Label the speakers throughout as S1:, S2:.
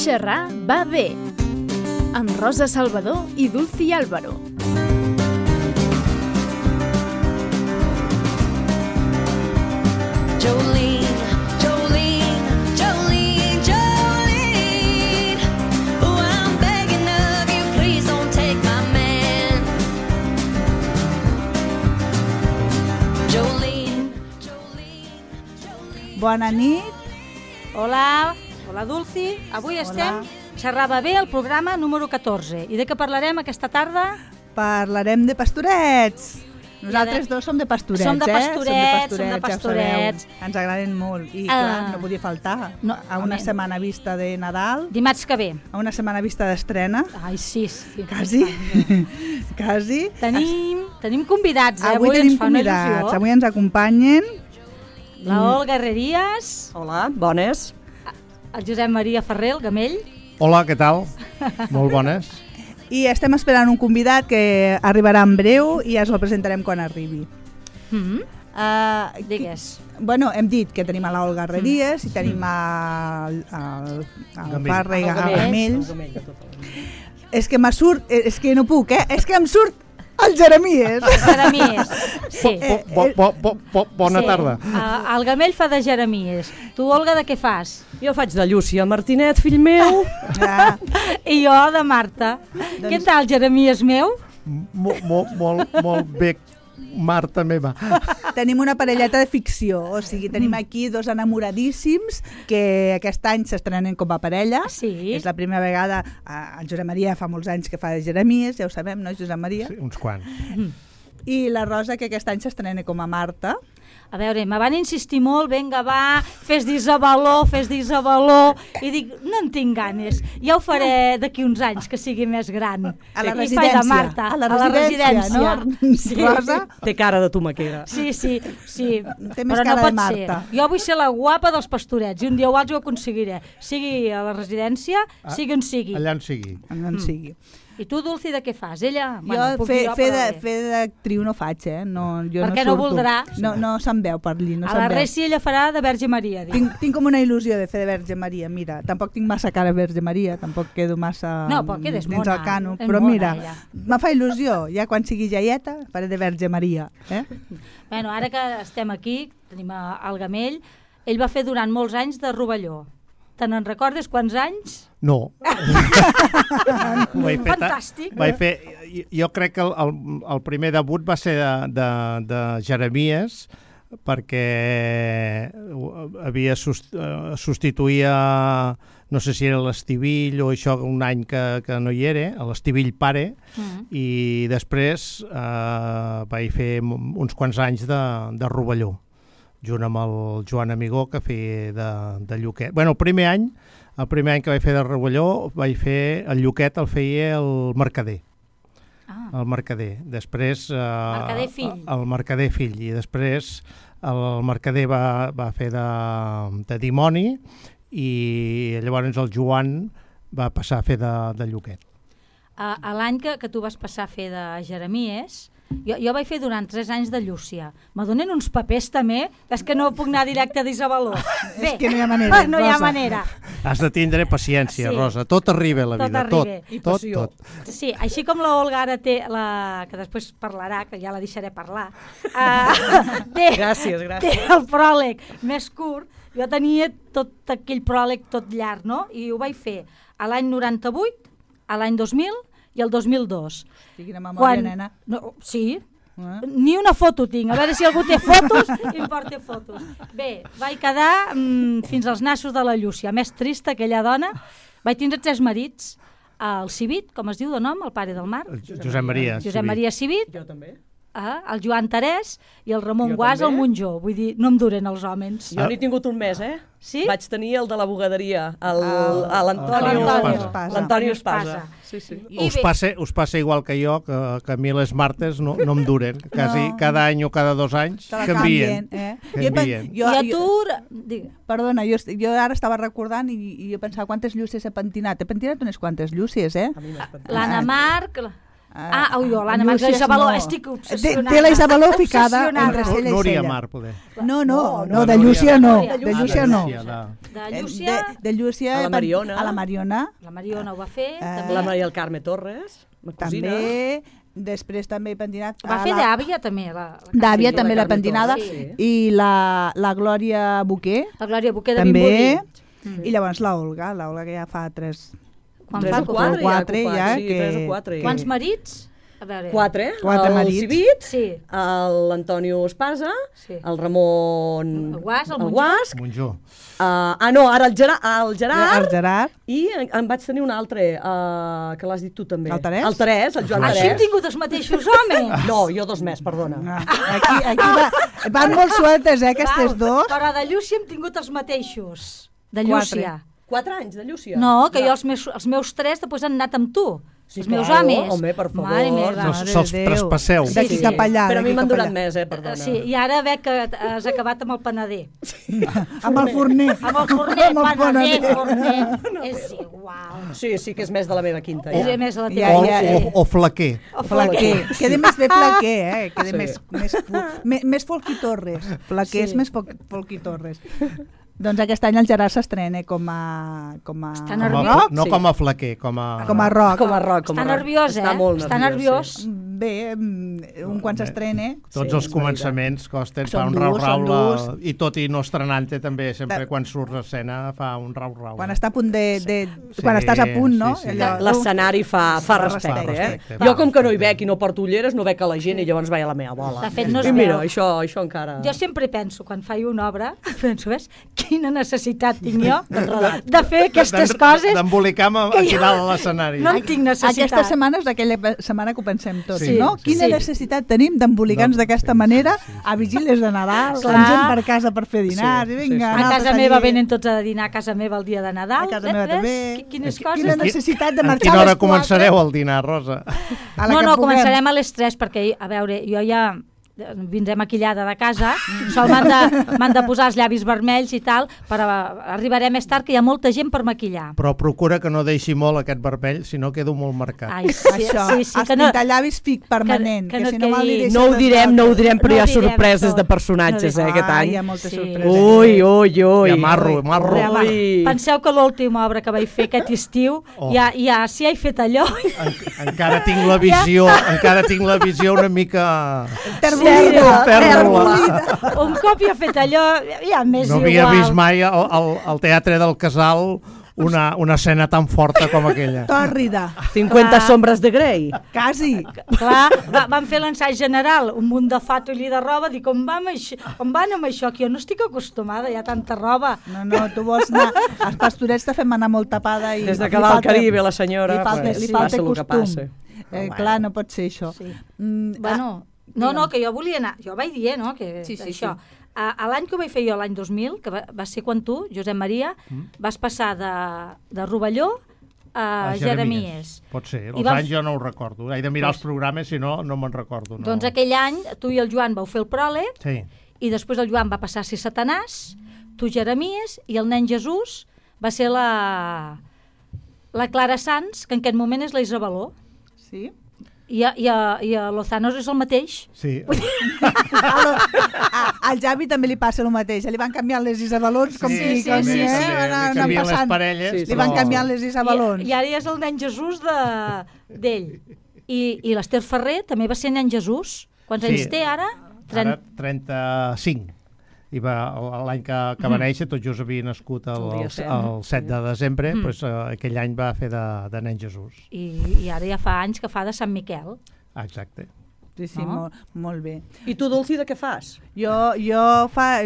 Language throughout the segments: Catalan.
S1: Xerrar va bé, amb Rosa Salvador i Dulci Álvaro.
S2: Jolene, Jolene, Jolene, Jolene, oh, I'm begging of you, please don't take my man. Jolene, Jolene, Jolene.
S3: Bona nit.
S4: Hola Dulci. Avui estem Xerrava bé el programa número 14. I de què parlarem aquesta tarda?
S3: Parlarem de pastorets. Nosaltres dos som de pastorets,
S4: som de pastorets,
S3: ja ho sabeu. Ens agraden molt i clar, no podia faltar. A una setmana vista de Nadal.
S4: Dimarts que ve.
S3: A una setmana vista d'estrena.
S4: Ai, sí.
S3: Quasi. Quasi.
S4: Tenim convidats,
S3: Avui tenim convidats. Avui ens acompanyen
S4: la Olga Herrerías.
S5: Hola, bones.
S4: El Josep Maria Ferrer, el Gamell.
S6: Hola, què tal? Molt bones.
S3: I estem esperant un convidat que arribarà en breu i ja us el presentarem quan arribi.
S4: Digues.
S3: Bueno, hem dit que tenim a l'Olga Herrerías i tenim al Parra i al Gamell. És que és que no puc, és que em surt el Jeremies.
S4: Sí.
S6: Bona tarda.
S4: El Gamell fa de Jeremies. Tu, Olga, de què fas?
S5: Jo faig de Llúcia Martinet, fill meu.
S4: I jo de Marta. Què tal, Jeremies meu?
S6: Molt bé, Marta meva.
S3: Tenim una parelleta de ficció, o sigui, tenim aquí dos enamoradíssims que aquest any s'estrenen com a parella.
S4: Sí.
S3: És la primera vegada, el Josep Maria fa molts anys que fa de Jeremies, ja ho sabem, no, Josep Maria?
S6: Sí, uns quants.
S3: I la Rosa, que aquest any s'estrena com a Marta.
S4: A veure, me van insistir molt, vinga, va, fes d'Isabeló, i dic, no en tinc ganes, ja ho faré d'aquí uns anys, que sigui més gran.
S3: A la
S4: I
S3: residència.
S4: faig de Marta,
S3: a la residència.
S4: no?
S3: Sí. Rosa?
S5: Té cara de tomaquera.
S4: Sí.
S3: Té més
S4: Però
S3: cara
S4: no pot
S3: de Marta.
S4: ser. Jo vull ser la guapa dels pastorets, i un dia o altre ho aconseguiré. Sigui a la residència, sigui on sigui.
S6: Allà on sigui.
S3: On sigui.
S4: I tu, Dulci, de què fas? Ella?
S3: Jo fer d'actriu no faig, No, jo
S4: perquè
S3: no
S4: no voldrà.
S3: No se'm veu per allí, no
S4: A
S3: se'm
S4: la
S3: veu.
S4: Resi ella farà de Verge Maria.
S3: Tinc com una il·lusió de fer de Verge Maria, mira. Tampoc tinc massa cara de Verge Maria, tampoc quedo massa
S4: No, però quedes
S3: dins
S4: mona.
S3: el cano.
S4: És
S3: Però
S4: mona,
S3: mira,
S4: ella.
S3: me fa il·lusió. Ja quan sigui jaieta faré de Verge Maria.
S4: Bueno, ara que estem aquí, tenim el Gamell, ell va fer durant molts anys de Rovelló. Te n'en recordes quants anys?
S6: No.
S4: Fantàstic.
S6: Jo crec que el primer debut va ser de Jeremies, perquè substituïa, no sé si era l'Estivill o això, un any que no hi era, l'Estivill pare, i després vaig fer uns quants anys de Rovelló, junt amb el Joan Amigó, que feia de Lluquet. Bueno, el primer any que vaig fer de Rovelló, vaig fer el Lluquet, el feia el Mercader. El Mercader. Després...
S4: Mercader fill.
S6: El Mercader fill. I després el Mercader va fer de dimoni i llavors el Joan va passar a fer de Lluquet.
S4: A l'any que tu vas passar a fer de Jeremies, jo vaig fer durant 3 anys de Llúcia. Me donen uns papers també, és que no puc anar directe d'Isabeló.
S3: És que no hi ha manera,
S4: no hi ha
S3: Rosa.
S4: manera.
S6: Has de tindre paciència,
S4: Sí.
S6: Rosa. Tot arriba a la vida. Tot.
S4: Sí, així com la Olga ara té, que després parlarà, que ja la deixaré parlar,
S5: Gràcies.
S4: té el pròleg més curt. Jo tenia tot aquell pròleg tot llarg, no? I ho vaig fer a l'any 98, a l'any 2000 i el 2002.
S3: Quina memòria, nena.
S4: No, sí, ni una foto tinc. A veure si algú té fotos i em porta fotos. Bé, vaig quedar fins als nassos de la Llúcia. Més trista, aquella dona. Vaig tindre 3 marits. El Civit, com es diu de nom, el pare del Marc.
S6: Josep Maria.
S4: Josep Maria Civit.
S5: Jo també.
S4: El Joan Terès i el Ramon
S5: Jo
S4: Guàs al
S5: també.
S4: Monjó. Vull dir, no em duren els homes.
S5: Jo n'he tingut un mes,
S4: Sí?
S5: Vaig tenir el de la bugaderia,
S3: Espasa.
S5: l'Antonio Espasa. Sí.
S6: Us passa igual que jo, que a mi les martes no em duren. Cada any o cada 2 anys
S3: Te la
S6: canvien.
S3: canvien.
S4: I a tu...
S3: Perdona, jo ara estava recordant i jo pensava quantes llúcies he pentinat. He pentinat unes quantes llúcies,
S5: A mi m'has pentinat.
S4: L'Anna Marc... l'Anna Marc Isabeló, estic obsessionada.
S3: Té la Isabeló ficada entre cella i
S6: Núria
S3: cella.
S6: Mar, poder.
S3: No, de Llúcia no. De Llúcia no.
S4: De Llúcia,
S3: De Llúcia...
S5: A la Mariona.
S3: A la Mariona.
S4: la Mariona ho va fer.
S5: La Maria del Carme Torres, ma cosina.
S3: També. Després també pentinat...
S4: Va fer d'àvia també.
S3: D'àvia
S5: Sí,
S3: també
S5: la
S3: la
S5: Carme
S3: pentinada.
S5: Torres, sí.
S3: I la Glòria Boquer.
S4: La Glòria Boquer de
S3: També.
S4: Vimbodí.
S3: I llavors la Olga que ja fa 3...
S4: Quan
S5: Tres
S4: fa
S5: o quatre,
S3: quatre,
S5: ja,
S3: ja,
S5: sí,
S3: que-
S5: 3 o 4.
S4: Quants marits? A veure.
S5: 4,
S3: Quatre
S5: el
S3: marits.
S5: Civit,
S4: Sí.
S5: l'Antonio Espasa,
S4: Sí.
S5: el Ramon...
S4: El Guas, el
S5: Guas.
S6: Monjó.
S5: No, ara el Gerard,
S3: El Gerard.
S5: i en vaig tenir un altre, que l'has dit tu també.
S3: El Terès?
S5: El Terès, el Joan
S4: Així hem
S5: Terès.
S4: tingut els mateixos homes.
S5: No, jo 2 més, perdona.
S3: Aquí van molt sueltes, aquestes dos.
S4: Però de Llúcia hem tingut els mateixos. De Llúcia.
S5: 4 anys de Llúcia.
S4: No, que jo els meus 3 després han anat amb tu.
S5: Sí,
S4: els meus
S5: claro,
S4: homes.
S5: home, per favor.
S4: Mare meva.
S6: No, se'ls
S3: de Déu.
S6: traspasseu.
S3: D'aquí
S5: Sí,
S3: cap allà.
S5: Però a mi
S3: d'aquí
S5: m'han
S3: cap
S5: durat
S3: allà.
S5: més, perdona.
S4: Sí, i ara veig que has acabat amb el panader.
S3: Amb el forner.
S4: Amb el forner,
S3: Amb el
S4: panader,
S3: panader.
S4: forner. És igual.
S5: Sí, que és més de la meva quinta.
S4: És
S5: Ja.
S4: més a la
S3: Ja,
S4: teva.
S3: ja.
S6: O flaquer.
S3: Flaquer. Queda més bé flaquer, Queda
S5: Sí.
S3: més Folquitorres. Flaquer és
S5: Sí.
S3: més Folquitorres. Doncs aquest any el Gerard s'estrena com a
S4: Està nerviós?
S6: No
S5: Sí.
S6: com a flaquer, com a...
S3: com a rock.
S5: Com a rock.
S4: Està nerviós,
S5: Està molt
S4: Està nerviós.
S3: Bé, un quan s'estrena...
S6: Tots
S5: Sí,
S6: els
S5: és
S6: començaments costen, fa
S3: Són
S6: un
S3: durs, són
S6: rau-rau,
S3: durs.
S6: i tot i no estrenant-te també, sempre
S3: De-
S6: quan surts a escena fa un rau-rau.
S3: Quan està a punt
S6: Sí,
S3: quan estàs a punt, no?
S6: sí, sí.
S5: L'escenari fa respecte,
S6: respecte.
S5: Jo com que no hi veig i no porto ulleres, no veig a la gent i llavors vaig a la meva bola.
S4: De fet, no es
S5: I mira,
S4: veu.
S5: això encara...
S4: Jo sempre penso, quan faig una obra, penso, ves, quina necessitat tinc jo de fer aquestes coses
S6: D'embolicar-me aquí dalt a l'escenari.
S4: no en tinc necessitat.
S3: Aquesta setmana és aquella setmana que ho pensem tots,
S6: Sí,
S3: no?
S6: sí.
S3: Quina necessitat tenim d'embolicar-nos d'aquesta manera a vigílies de Nadal,
S4: Clar.
S3: amb gent per casa per fer dinars, i vinga,
S4: A
S3: nosaltres
S4: casa meva
S3: allí.
S4: venen tots a dinar a casa meva el dia de Nadal.
S3: A casa meva també.
S4: Quines
S3: Quina
S4: coses.
S3: necessitat de
S6: En
S3: marxar
S6: quina
S3: a
S6: hora
S3: les 4?
S6: començareu el dinar, Rosa?
S3: A la
S4: No,
S3: que
S4: no,
S3: puguem.
S4: començarem a les 3 perquè, a veure, jo ja vindré maquillada de casa, sol m'han de posar els llavis vermells i tal, però arribaré més tard que hi ha molta gent per maquillar.
S6: Però procura que no deixi molt aquest vermell, si no quedo molt marcat.
S4: Ai, sí,
S3: Això,
S4: sí,
S3: els
S4: que no,
S3: pintallavis fic permanent,
S4: que
S3: que,
S4: no
S3: si no mal li
S4: quedi-
S3: deixes
S5: No ho
S3: les
S5: direm, però
S4: No
S5: hi ha
S4: ho direm
S5: sorpreses
S4: tot.
S5: de personatges,
S4: No
S5: aquest
S3: Ai,
S5: any.
S3: hi ha moltes
S4: Sí.
S3: sorpreses.
S5: Ui.
S6: Hi ha marro.
S5: Ui.
S4: penseu que l'última obra que vaig fer aquest estiu, ja si he fet allò...
S6: Encara tinc la visió, una mica...
S3: Terbolida,
S6: Pèrdola.
S4: Un cop ja he fet allò, ja m'és
S6: No
S4: igual.
S6: havia vist mai al Teatre del Casal una escena tan forta com aquella.
S3: tòrrida,
S5: 50
S4: Clar.
S5: sombres de Grey.
S3: quasi.
S4: Clar, van fer l'ensaig general, un munt de fato i de roba, dic, on van amb això? Que jo no estic acostumada, hi ha tanta roba.
S3: No, tu vols anar... Els pastorets te fem anar molt tapada i...
S5: Des de
S3: li
S5: que va al
S3: falta-
S5: Caribe, la senyora,
S3: li falta,
S5: pues,
S3: li
S5: sí,
S3: falta
S5: passa el que
S3: costum.
S5: passa.
S3: Clar, no pot ser això.
S4: Sí.
S3: Mm,
S4: Bueno, no, que jo volia anar, jo vaig dir, no?, que
S3: Sí,
S4: això. A l'any que ho vaig fer jo, l'any 2000, que va ser quan tu, Josep Maria, vas passar de Rovelló a Jeremies.
S6: Pot ser,
S4: I
S6: els
S4: vam-
S6: anys jo no ho recordo. He de mirar els programes, si no, no me'n recordo. No.
S4: Doncs aquell any tu i el Joan vau fer el pròleg,
S6: Sí.
S4: i després el Joan va passar a ser Satanàs, tu Jeremies, i el nen Jesús va ser la Clara Sanz, que en aquest moment és la Isabeló.
S3: Sí?
S4: I a Lozanos és el mateix.
S6: Sí.
S3: Al Javi també li passa el mateix. Li van canviant les Isabelons com
S6: Sí,
S3: si...
S6: sí,
S3: com
S6: sí,
S3: si,
S6: sí,
S3: Van
S6: li canvien les
S3: passant.
S6: parelles,
S5: Sí,
S3: Li van
S6: però-
S3: canviant les Isabelons.
S4: I ara ja és el nen Jesús d'ell. I l'Ester Ferrer també va ser nen Jesús. Quants anys té ara?
S6: Ara 35. I l'any que va néixer, tot just havia nascut
S5: El dia set.
S6: el 7 de desembre, doncs, aquell any va fer de nen Jesús.
S4: I ara ja fa anys que fa de Sant Miquel.
S6: Exacte.
S3: Sí, sí,
S4: No?
S3: molt bé.
S5: I tu, Dulci, de què fas?
S3: Jo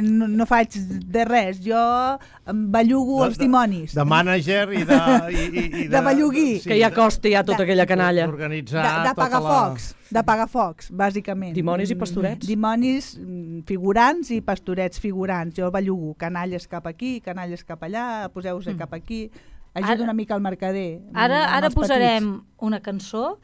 S3: no faig de res. Jo bellugo els dimonis.
S6: De mànager i de...
S3: De belluguí.
S5: Que ja costa ja tota aquella canalla.
S6: D'organitzar
S3: De
S6: tota
S3: pagafocs. De pagafocs, bàsicament.
S5: Dimonis i pastorets?
S3: Dimonis figurants i pastorets figurants. Jo bellugo canalles cap aquí, canalles cap allà, poseu-vos cap aquí. Ajudo
S4: Ara-
S3: una mica al mercader.
S4: Ara
S3: amb els
S4: posarem
S3: petits.
S4: una cançó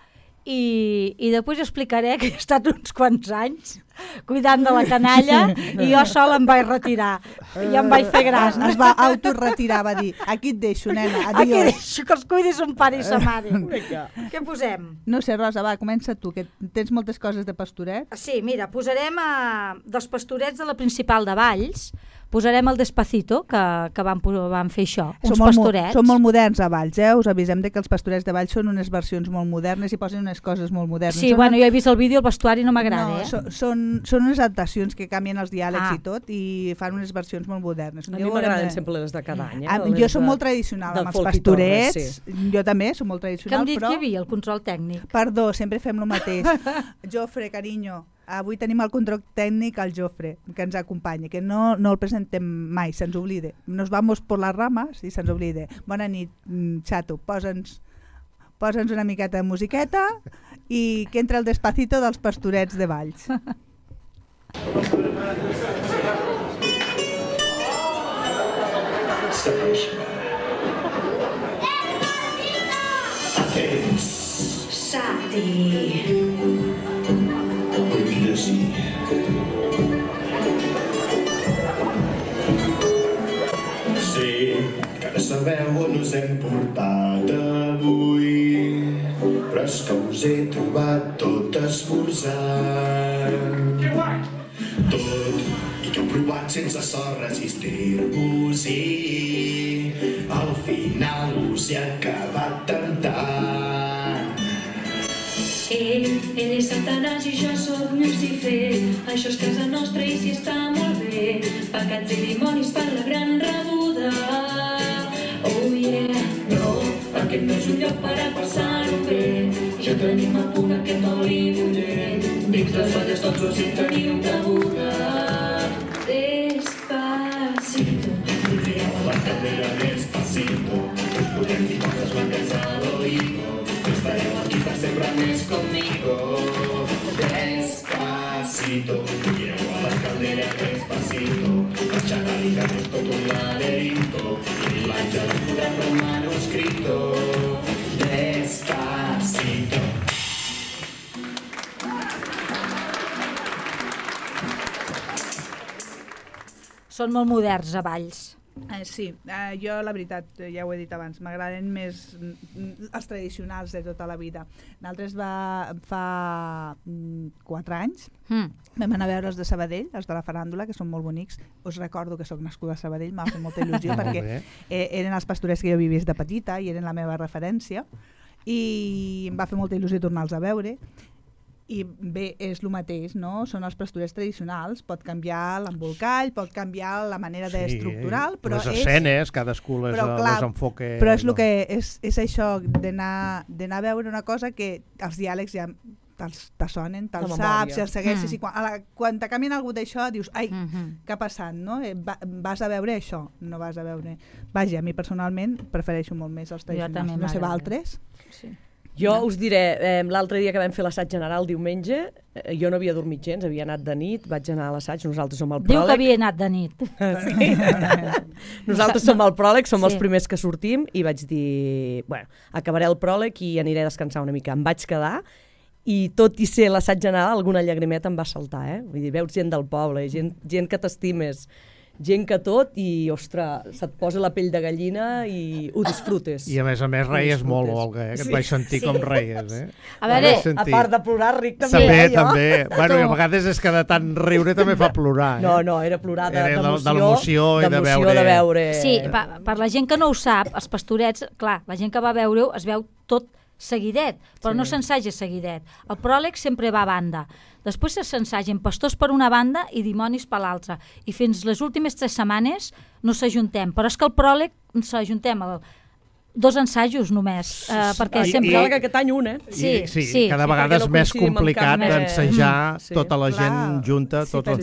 S4: i després explicaré que he estat uns quants anys cuidant de la canalla i jo sola em vaig retirar i em vaig fer gran.
S3: Es va autoretirar, va dir, aquí et deixo, nena,
S4: Aquí
S3: adiós.
S4: deixo que els cuidis un pare i sa mare. Què posem?
S3: No sé, Rosa, va, comença tu, que tens moltes coses de pastoret.
S4: Sí, mira, posarem dels pastorets de la Principal de Valls, posarem el Despacito, que van fer això, uns pastorets.
S3: Són molt moderns a Valls, us avisem de que els pastorets de Valls són unes versions molt modernes i posen unes coses molt modernes.
S4: Sí, bueno, jo he vist el vídeo, el vestuari no m'agrada,
S3: Són unes adaptacions que canvien els diàlegs i tot i fan unes versions molt modernes.
S5: A mi m'agraden sempre les de cada any.
S3: Jo soc molt tradicional amb els pastorets, jo també soc molt tradicional,
S4: però... Que em dit
S3: que
S4: hi havia el control tècnic?
S3: Perdó, sempre fem el mateix. Jofre, carinyo, avui tenim el control tècnic al Jofre, que ens acompanya, que no el presentem mai, se'ns oblide. Nos vamos por las ramas i se'ns oblide. Bona nit, xato, posa'ns una miqueta de musiqueta i que entra el Despacito dels pastorets de Valls.
S2: Sati.
S7: Sí, que ara sabeu on us hem portat avui, però és que us he trobat tot esmorzant. Tot, i que heu provat sense sort resistir-vos-hi, al final us he acabat tentant.
S2: Ell és Satanàs i jo sóc Lucifer. Això és casa nostra i si està molt bé. Pecats i dimonis per la gran rebuda. Oh yeah, no, aquest no és un lloc per a passar-ho bé. Ja tenim a punt aquest oli bullent. Dins les falles dolços hi teniu cabuda. Despacito.
S7: Tireu a la cadera despacito, us podem dir coses blanques a l'oïdo. Estareu aquí per sempre més conmigo. Despacito, tireu a la caldera despacito, marxant a l'hígado és tot un laberinto, i l'àngel ens podrà fer un manuscrito. Despacito.
S4: Són molt moderns a Valls.
S3: Sí, jo la veritat, ja ho he dit abans, m'agraden més els tradicionals de tota la vida. Nosaltres fa 4 anys vam anar a veure els de Sabadell, els de la faràndula, que són molt bonics. Us recordo que sóc nascuda a Sabadell, m'ha fet molta il·lusió perquè eren els pastorets que jo havia vist de petita i eren la meva referència i em va fer molta il·lusió tornar-los a veure. I bé, és el mateix, no? Són els pastorets tradicionals, pot canviar l'embolcall, pot canviar la manera d'estructurar, però
S6: les escenes, cadascú les enfoca...
S3: Però és el que és això d'anar a veure una cosa que els diàlegs ja te sonen, te'ls saps, els segueixes, i quan te canvien algú d'això dius, ai, què ha passat, no? Vas a veure això, no vas a veure... Vaja, a mi personalment prefereixo molt més els tradicionals, no sé, altres?
S4: Sí.
S5: Jo us diré, l'altre dia que vam fer l'assaig general diumenge, jo no havia dormit gens, havia anat de nit, vaig anar a l'assaig, nosaltres som el pròleg.
S4: Diu que havia anat de nit.
S5: Sí. Nosaltres som el pròleg, som els primers que sortim, i vaig dir, bueno, acabaré el pròleg i aniré a descansar una mica. Em vaig quedar, i tot i ser l'assaig general, alguna llagrimeta em va saltar, Vull dir, veus gent del poble, gent que t'estimes, gent que tot, i, ostres, se't posa la pell de gallina i ho disfrutes.
S6: I a més reies molt, Olga, que et vaig sentir com reies,
S4: A veure,
S5: a part de plorar, ric també.
S6: També. Bueno, a vegades és que de tant riure també fa plorar.
S5: No, era plorar
S6: d'emoció i de veure...
S4: Sí, per la gent que no ho sap, els pastorets, clar, la gent que va veure-ho es veu tot seguidet, però no s'ensaja seguidet. El pròleg sempre va a banda. Després s'ensagen pastors per una banda i dimonis per l'altra. I fins les últimes 3 setmanes no s'ajuntem. Però és que el pròleg s'ajuntem 2 ensajos només. Perquè sempre...
S5: I aquest any un,
S6: Sí, cada vegada és més complicat d'ensajar tota la gent junta, tot el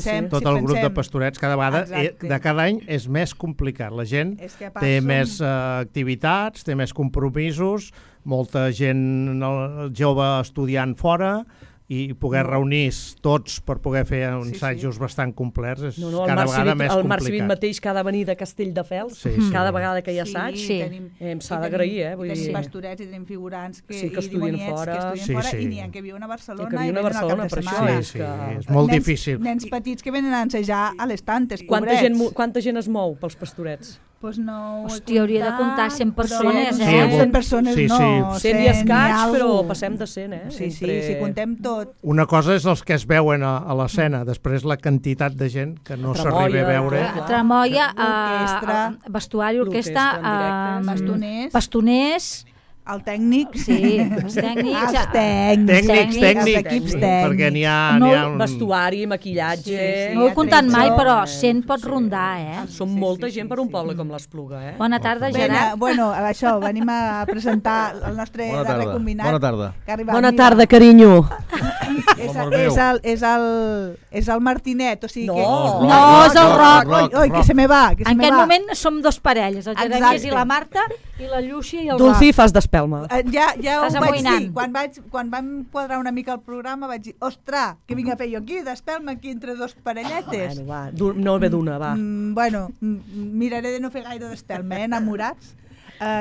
S6: grup de pastorets. Cada vegada, de cada any, és més complicat. La gent té més activitats, té més compromisos, molta gent jove estudiant fora, i poder reunir tots per poder fer uns assajos bastant complets és cada vegada més complicat.
S5: El Marc Civit mateix que ha de venir de Castelldefels, cada vegada que hi ha assaig, s'ha d'agrair.
S3: Tenim pastorets i tenim figurants
S5: que estudien fora
S3: i n'hi ha que viuen a Barcelona
S5: i venen al cap de setmana.
S6: És molt difícil.
S3: Nens petits que venen a ensejar a les tantes,
S5: pobrets. Quanta gent es mou pels pastorets?
S3: Pues no
S4: hòstia, hauria de comptar 100 persones,
S3: 100 persones no.
S5: 100 i escaig, però passem de 100,
S3: Sí, si contem tot.
S6: Una cosa és els que es veuen a l'escena, després la quantitat de gent que no s'arriba a veure.
S4: Tramoia, vestuari, orquestra, bastoners,
S3: el tècnic.
S4: Sí, els tècnics.
S3: Els tècnics.
S6: Els equips tècnics. Perquè n'hi ha un...
S5: Vestuari, maquillatge...
S4: No ho he comptat mai, però 100 pot rondar,
S5: Som molta gent per un poble com l'Espluga,
S4: Bona tarda, Gerard.
S3: Bueno, això, venim a presentar el nostre darrer combinat.
S8: Bona tarda.
S5: Bona tarda, carinyo.
S3: És el Martinet, o sigui que...
S4: No, és el Roc.
S3: Oi, que se me va.
S4: En aquest moment som dos parelles, el Jeremías i la Marta, i la Llúcia i el Roc.
S5: Dulcí, fas d'espelma.
S3: Ja ho vaig dir. Quan vam quadrar una mica el programa vaig dir, ostres, què vinc a fer jo aquí? D'espelma aquí entre dos parelletes.
S5: Bueno, va, no ve d'una, va.
S3: Bueno, miraré de no fer gaire d'espelma, enamorats.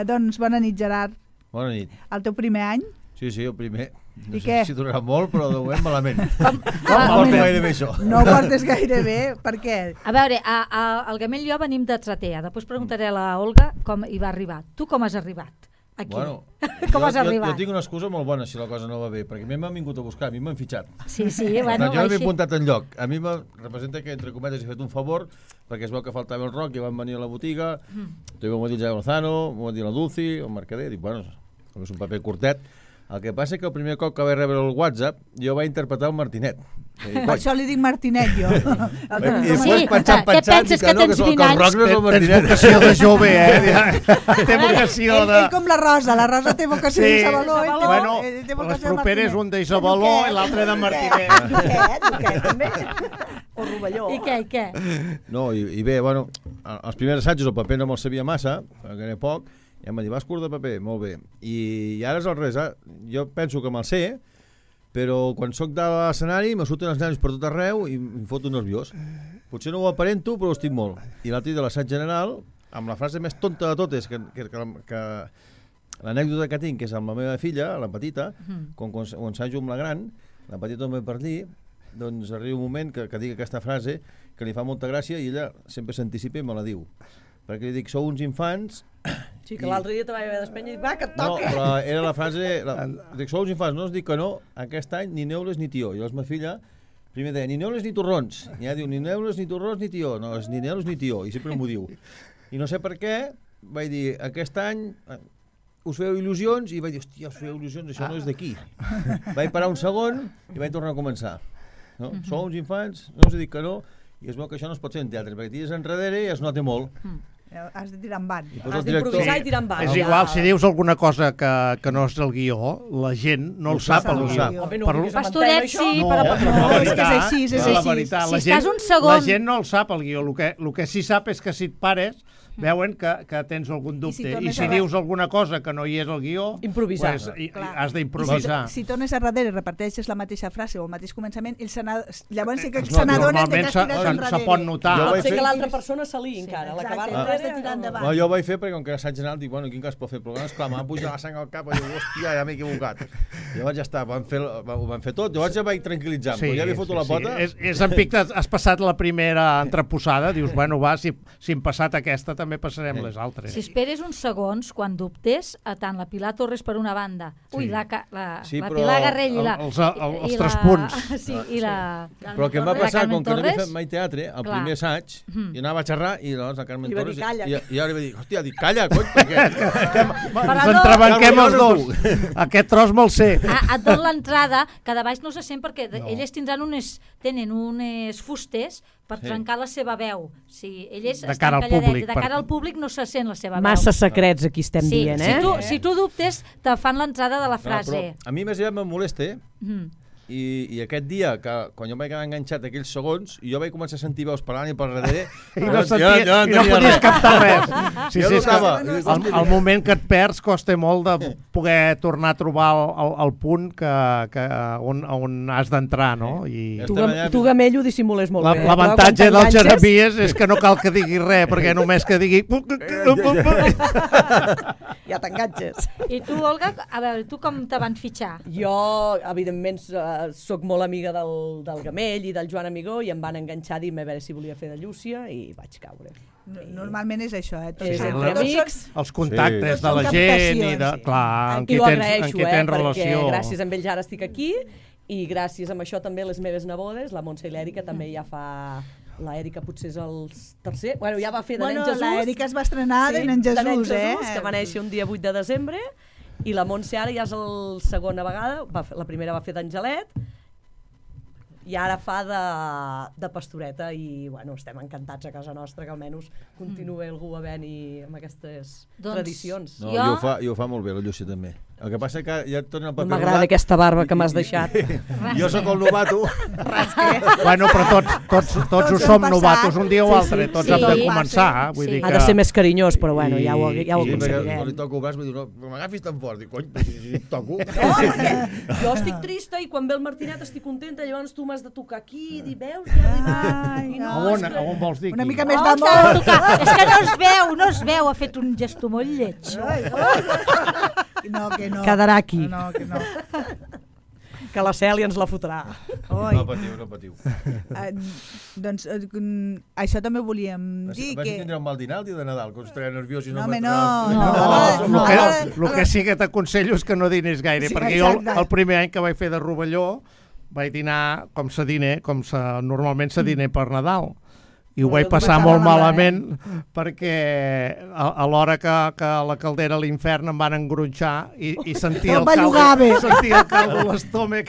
S3: Doncs bona nit, Gerard.
S8: Bona nit.
S3: El teu primer any?
S8: Sí, el primer. No
S3: sé
S8: si durarà molt, però de moment malament. No portes gaire bé, això.
S3: No portes gaire bé, per què?
S4: A veure, el Gamell i jo venim de Tratea. Després preguntaré a la Olga com hi va arribar. Tu com has arribat? Aquí.
S8: Bueno,
S4: com has arribat?
S8: Jo tinc una excusa molt bona si la cosa no va bé, perquè a mi m'han vingut a buscar, a mi m'han fitxat.
S4: Sí,
S8: bueno, jo no m'he apuntat enlloc. A mi representa que, entre cometes, he fet un favor, perquè es veu que faltava el Roc, i van venir a la botiga, m'ho va dir el Lozano, m'ho va dir la Dulci, el Mercader, dic, bueno, és un paper curtet. El que passa és que el primer cop que vaig rebre el WhatsApp jo vaig interpretar el Martinet.
S3: Per això li dic Martinet, jo.
S8: I després pensant,
S4: què penses que tens 20 anys?
S6: Tens vocació de jove, Té vocació de...
S3: Ell com la Rosa té vocació d'Isabeló.
S6: Bueno, les properes un d'Isabeló i l'altre de Martinet.
S3: Duquet, també.
S5: O Rovelló.
S4: I què?
S8: No, i bé, bueno, els primers assajos el paper no me'l sabia massa, perquè era poc, i em va dir, vas curt de paper? Molt bé. I ara és al revés, jo penso que me'l sé, però quan sóc de l'escenari me surten els nervis per tot arreu i em foto nerviós. Potser no ho aparento, però ho estic molt. I l'altre dia de l'assaig general, amb la frase més tonta de totes, que l'anècdota que tinc, que és amb la meva filla, la petita, quan ho ensajo amb la gran, la petita no ve per dir, doncs arriba un moment que dic aquesta frase que li fa molta gràcia i ella sempre s'anticipa i me la diu. Perquè li dic, sou uns infants...
S5: Sí, que l'altre dia te vaig haver d'espenya i dic, va, que et toca!
S8: No, però era la frase... Dic, sou uns infants, no us dic que no, aquest any ni neules ni tió. I llavors ma filla primer deia, ni neules ni torrons. I ja diu, ni neules ni torrons ni tió. No, és ni neules ni tió, i sempre m'ho diu. I no sé per què, vaig dir, aquest any us feu il·lusions, i vaig dir, hòstia, us feu il·lusions, això no és d'aquí. Vaig parar un segon i vaig tornar a començar. No? Sou uns infants, no us dic que no, i es veu que això no es pot fer en teatre, perquè tires enrere i es nota molt.
S3: Has de tirar en van.
S5: Has d'improvisar i tirar en van.
S6: És igual, si dius alguna cosa que no és el guió, la gent no el sap, el guió.
S4: Pastoret sí, però...
S3: No, és que és així, és així.
S4: Si estàs un segon...
S6: La gent no el sap, el guió. El que sí sap és que si et pares veuen que tens algun dubte. I si dius alguna cosa que no hi és al guió,
S5: improvisar.
S6: Has d'improvisar.
S3: Si tornes a darrere i reparteixes la mateixa frase o el mateix començament, llavors sí que se n'adonen que has tirat enrere.
S6: Se pot notar.
S5: Pot ser que l'altra persona s'ali encara.
S3: Has de tirar endavant.
S8: No, jo ho vaig fer perquè com que era assaig general, dic, bueno, quin cas pot fer? Però esclar, m'ha pujat la sang al cap i dic, hòstia, ja m'he equivocat. Llavors ja està, ho van fer tot. Llavors ja vaig tranquil·litzar, però ja havia fotut la pota.
S6: És en pic, has passat la primera entreposada, dius, bueno, va, si hem passat aquesta també passarem les altres.
S4: Si esperes uns segons, quan dubtes, tant la Pilar Torres per una banda, la Pilar Garrell i la...
S6: Els 3 punts.
S4: Sí, i la...
S8: Però el que em va passar, com que no havia fet mai teatre, el primer assaig, jo anava a xerrar i llavors la Carmen Torres... I ara va dir, hòstia, calla, cony, perquè...
S6: Ens entrebanquem els dos. Aquest tros me'l sé.
S4: Et dono l'entrada, que de baix no se sent perquè elles tenen unes fustes per trencar la seva veu.
S6: De cara al públic.
S4: De cara al públic no se sent la seva veu.
S5: Massa secrets aquí estem dient,
S4: Si tu dubtes, te fan l'entrada de la frase.
S8: A mi més aviat em molesta, i aquest dia, quan jo em vaig quedar enganxat aquells segons, jo vaig començar a sentir veus parlant i per darrere,
S6: i no podies captar res. Sí,
S8: Jo
S6: sí,
S8: notava.
S6: el moment que et perds costa molt de poder tornar a trobar el punt on has d'entrar, no? I
S5: Tu, Gamello, dissimules molt bé.
S6: l'avantatge del Jeremies és que no cal que digui res, perquè només que digui...
S5: Ja t'enganxes.
S4: I tu, Olga, a veure, tu com te van fitxar?
S5: Jo, evidentment, sóc molt amiga del Gamell i del Joan Amigó i em van enganxar a dir-me a veure si volia fer de Llúcia i vaig caure.
S3: Normalment és això,
S5: És entre amics.
S6: Els contactes de la gent i de... Clar, amb qui tens relació.
S5: Perquè gràcies a ells ara estic aquí i gràcies a això també les meves nebodes, la Montse i l'Èrica, també ja fa... L'Èrica potser és el tercer... Bueno, ja va fer de nen Jesús.
S3: L'Èrica es va estrenar de nen Jesús,
S5: que va néixer un dia 8 de desembre, i la Montse ara ja és la segona vegada, la primera va fer d'Angelet, i ara fa de pastoreta, i bueno, estem encantats a casa nostra que almenys continuï algú a venir amb aquestes tradicions.
S8: No, i ho fa molt bé, la Llúcia també. El que passa que ja et torna el paper rodat.
S5: M'agrada aquesta barba que m'has deixat.
S8: Jo sóc el novato.
S6: Bueno, però tots ho som novatos un dia o altre, tots hem de començar.
S5: Ha de ser més carinyós, però bueno, ja ho aconseguirem.
S8: Quan li toco el braç, vull dir, no m'agafis tan fort. Dic, cony, si et toco.
S5: Jo estic trista i quan ve el Martinet estic contenta, llavors tu m'has de tocar aquí i dir, veus, ja arribat.
S6: A on vols dir?
S3: Una mica més d'amor.
S4: És que no es veu, ha fet un gesto molt lleig.
S3: No, que no.
S5: Quedarà aquí.
S3: No, que no.
S5: Que la Cèlia ens la fotrà.
S8: No patiu.
S3: Doncs això també volíem dir
S8: Vas
S3: que...
S8: tindre un mal dinar el dia de Nadal, que us treia nerviós i no...
S6: El que sí que t'aconsello és que no dinis gaire, perquè jo el primer any que vaig fer de Rovelló vaig dinar com normalment se diner per Nadal. I ho vaig passar molt malament perquè a l'hora que la caldera a l'infern em van engronxar i sentia el caldo a l'estómac.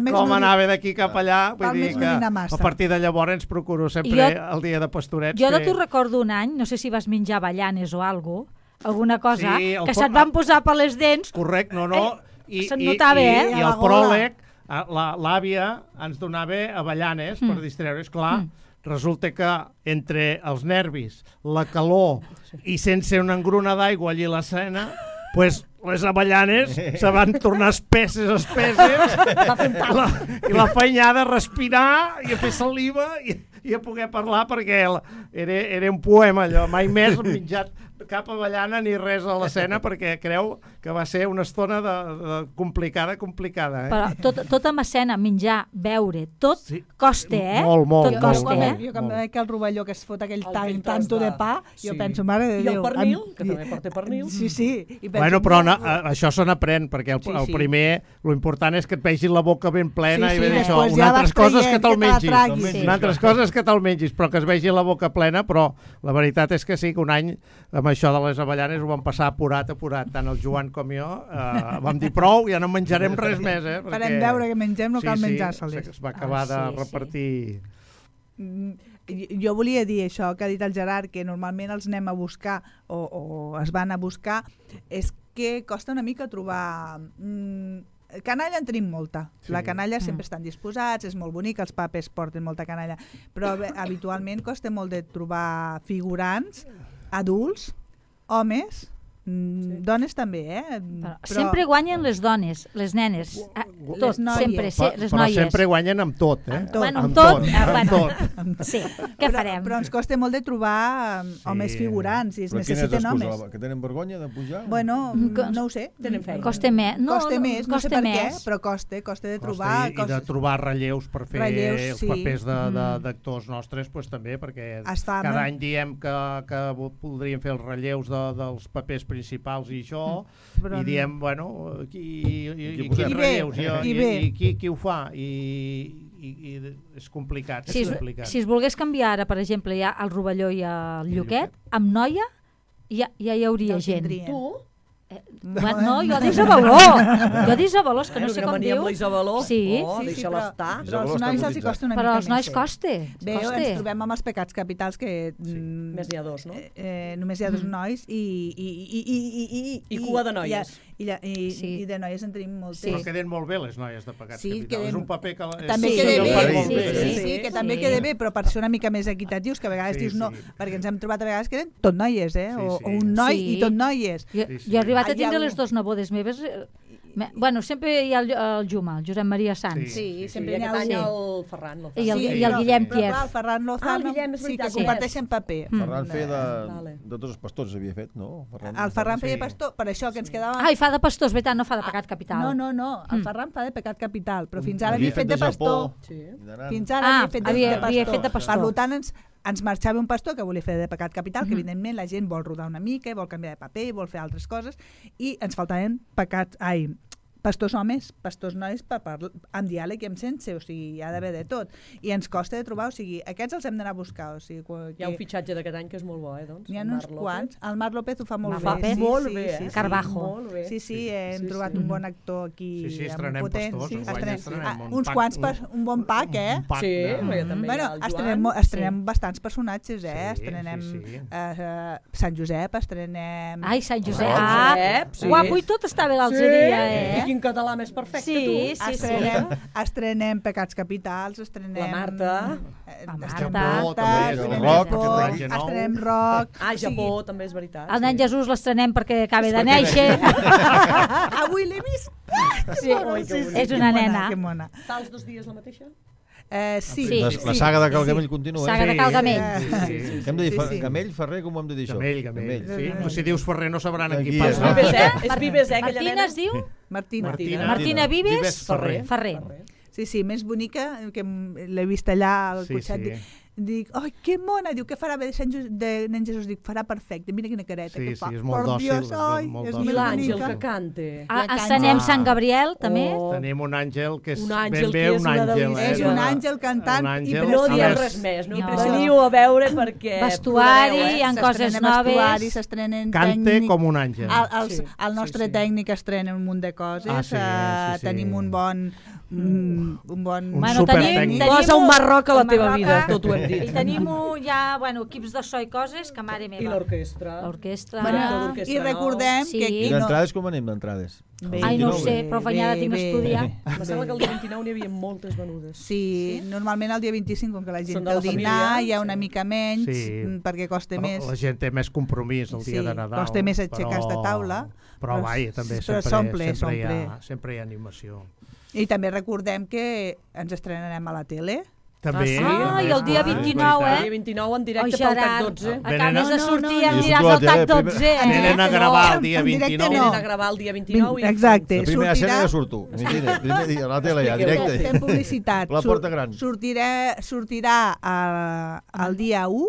S6: Com anava d'aquí cap allà. Vull dir que a partir de llavors ens procuro sempre el dia de pastorets.
S4: Jo de tu recordo un any, no sé si vas menjar avellanes o alguna cosa, que se't van posar per les dents.
S6: Correcte, no.
S4: Se't notava,
S6: I el pròleg, l'àvia ens donava avellanes per distreure's, clar. Resulta que entre els nervis, la calor i sense una engruna d'aigua allí a l'escena, pues les avellanes se van tornar espesses i la feinyada a respirar i a fer saliva i a poder parlar perquè era un poema allò, mai més menjat cap avellana ni res a l'escena perquè creu que va ser una estona complicada.
S4: Però tot amb escena, menjar, beure, tot costa,
S6: Molt.
S3: Jo quan veig el rovelló que es fot aquell tanto de pa, jo penso, mare de Déu.
S5: I el pernil, que també porta pernil.
S3: Sí.
S6: Bueno, però això se n'aprèn, perquè el primer, l'important és que et vegis la boca ben plena i ben això, unes altres coses que te'l mengis, però que es vegi la boca plena, però la veritat és que sí, que un any amb això de les avellanes ho vam passar apurat, tant el Joan com jo, vam dir prou, ja no menjarem res més,
S3: farem veure que mengem, no cal menjar-se-les.
S6: Es va acabar de repartir.
S3: Jo volia dir això que ha dit el Gerard, que normalment els anem a buscar o es van a buscar, és que costa una mica trobar... Canalla en tenim molta. La canalla sempre estan disposats, és molt bonic, els papes porten molta canalla, però habitualment costa molt de trobar figurants, adults, homes, dones també,
S4: Però sempre guanyen les dones, les nenes, tot, sempre, les noies.
S6: Però sempre guanyen amb tot,
S4: Amb tot. Sí, què farem?
S3: Però ens costa molt de trobar homes figurants i es necessiten homes.
S8: Que tenen vergonya de pujar?
S3: Bueno, no ho sé.
S5: Tenen feina.
S3: Costa més, no sé per què, però costa de trobar...
S6: I de trobar relleus per fer els papers d'actors nostres, també, perquè cada any diem que voldríem fer els relleus dels papers principals i això, i diem, bueno, qui ho fa? I és complicat.
S4: Si es volgués canviar ara, per exemple, ja el Rovelló i el Lluquet, amb noia ja hi hauria gent.
S5: Tu?
S4: No, jo d'Isabaló. Jo d'Isabaló, és que no sé com diu.
S5: Amb l'Isabaló.
S4: Sí.
S5: Deixa-la estar.
S3: Però als nois els hi costa una mica
S4: Però
S3: més.
S4: als nois costa.
S3: Bé, ens trobem amb els pecats capitals que...
S5: Només n'hi ha dos, no?
S3: Només hi ha dos nois
S5: I cua de noies.
S3: I de noies en tenim moltes.
S6: Però queden molt bé les noies de pecats capitals. És un paper que...
S3: També queda bé,
S8: sí,
S3: que també queda bé, però per ser una mica més equitatius, que a vegades dius no, perquè ens hem trobat a vegades que eren tot noies, o un noi i tot noies.
S4: Jo he arribat a tindre les dues nebodes meves. Bueno, sempre hi ha el Juma, el Josep Maria Sanz.
S3: Sí, sempre
S5: hi ha el Ferran Lozano.
S4: I el Guillem Pierre.
S3: El Ferran Lozano, sí, que comparteixen paper.
S8: Ferran feia de tots els pastors, havia fet, no?
S3: El Ferran feia pastor, per això que ens quedava...
S4: I fa de pastors, veritat, no fa de pecat capital.
S3: No, el Ferran fa de pecat capital, però fins ara havia fet de pastor. Fins ara havia fet de pastor. Per tant, ens marxava un pastor que volia fer de pecat capital, que evidentment la gent vol rodar una mica, vol canviar de paper, vol fer altres coses, i ens faltaven pastors homes, pastors nois amb diàleg i amb sense, o sigui, hi ha d'haver de tot. I ens costa de trobar, o sigui, aquests els hem d'anar a buscar. O sigui,
S5: hi ha un fitxatge d'aquest any que és molt bo, doncs.
S3: N'hi ha uns quants. El Marc López ho fa molt bé.
S5: Fa molt bé,
S4: Carbajo.
S3: Sí, hem trobat un bon actor aquí.
S6: Sí, estrenem pastors.
S3: Uns quants, un bon pack,
S5: Sí, també.
S3: Bueno, estrenem bastants personatges, estrenem Sant Josep, estrenem...
S4: Ai, Sant Josep. Guapo i tot està bé l'altre dia,
S5: Quin català més perfecte, tu.
S3: Estrenem Pecats Capitals, estrenem...
S5: La Marta.
S3: Estrenem Roc.
S5: Japó, també és veritat.
S4: El nen Jesús l'estrenem perquè acaba de néixer.
S3: Avui l'he vist.
S4: És una nena.
S5: Fa els 2 dies la mateixa?
S3: Sí.
S8: La saga de Calgamell continua.
S4: Saga de Calgamell.
S8: Hem de dir Gamell, Ferrer, com ho hem de dir això?
S6: Gamell. Si dius Ferrer no sabran en qui
S8: passa.
S5: És Vives, aquella nena?
S4: Martina es diu? Martina Vives Ferrer.
S3: Sí, més bonica, que l'he vist allà al cotxet. Dic, ai, que mona, diu, què farà bé de nen Jesús? Dic, farà perfecte, mira quina careta que fa.
S6: Sí, és molt dòcil.
S5: I l'àngel que cante.
S4: Estrenem Sant Gabriel, també.
S6: Tenim un àngel que és
S5: ben
S6: bé un àngel.
S3: És un àngel cantant i preciós.
S5: No diem res més, no veniu a veure perquè...
S4: Vestuari, hi ha coses noves.
S3: S'estrenen
S6: Cante com un àngel.
S3: El nostre tècnic estrena un munt de coses. Tenim un bon
S6: supertècnic.
S5: Posa un Marroc a la teva vida, tot ho hem dit.
S4: I tenim ja equips de so i coses que mare meva.
S5: I l'orquestra.
S3: I recordem que aquí
S8: no... I d'entrades com anem d'entrades?
S4: Ai, no ho sé, però afanyada tinc d'estudiar.
S5: Em sembla que el dia 29 n'hi havia moltes venudes.
S3: Sí, normalment el dia 25, com que la gent té el dinar, hi ha una mica menys, perquè costa més.
S6: La gent té més compromís el dia de Nadal.
S3: Costa més aixecar-se de taula.
S6: Però vaja, també sempre hi ha animació.
S3: I també recordem que ens estrenarem a la tele.
S6: També.
S4: I el dia 29,
S5: El dia 29 en directe pel TAC 12.
S4: Acabes de sortir en directe al TAC 12,
S6: Venen a gravar el dia 29.
S5: Venen a gravar el dia 29.
S3: Exacte.
S8: La primera escena ja surto. Primer dia a la tele ja, directe.
S3: Fem publicitat.
S8: La porta gran.
S3: Sortirà el dia 1